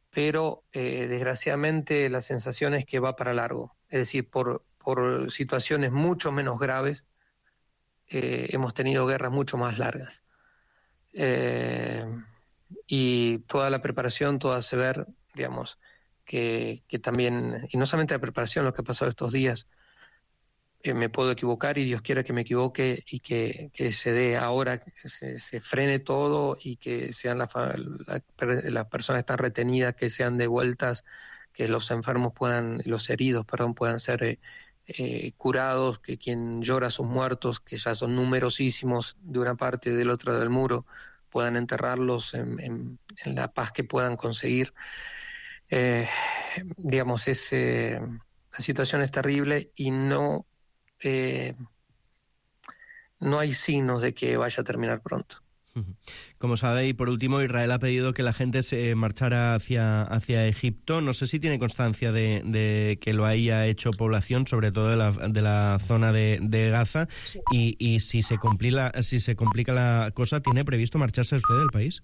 Speaker 16: pero eh, desgraciadamente la sensación es que va para largo, es decir, por por situaciones mucho menos graves, eh, hemos tenido guerras mucho más largas. Eh, y toda la preparación, todo hace ver, digamos, que, que también, y no solamente la preparación, lo que ha pasado estos días, eh, me puedo equivocar y Dios quiera que me equivoque y que, que se dé ahora, que se, se frene todo y que sean las la, la personas que están retenidas, que sean devueltas, que los enfermos puedan, los heridos, perdón, puedan ser... Eh, Eh, curados, que quien llora a sus muertos, que ya son numerosísimos de una parte y del otro del muro, puedan enterrarlos en, en, en la paz que puedan conseguir. Eh, digamos, es, eh, la situación es terrible y no, eh, no hay signos de que vaya a terminar pronto.
Speaker 17: Como sabe, y por último, Israel ha pedido que la gente se marchara hacia, hacia Egipto. No sé si tiene constancia de, de que lo haya hecho población, sobre todo de la, de la zona de, de Gaza, sí. y, y si, se complica, si se complica la cosa, ¿tiene previsto marcharse usted del país?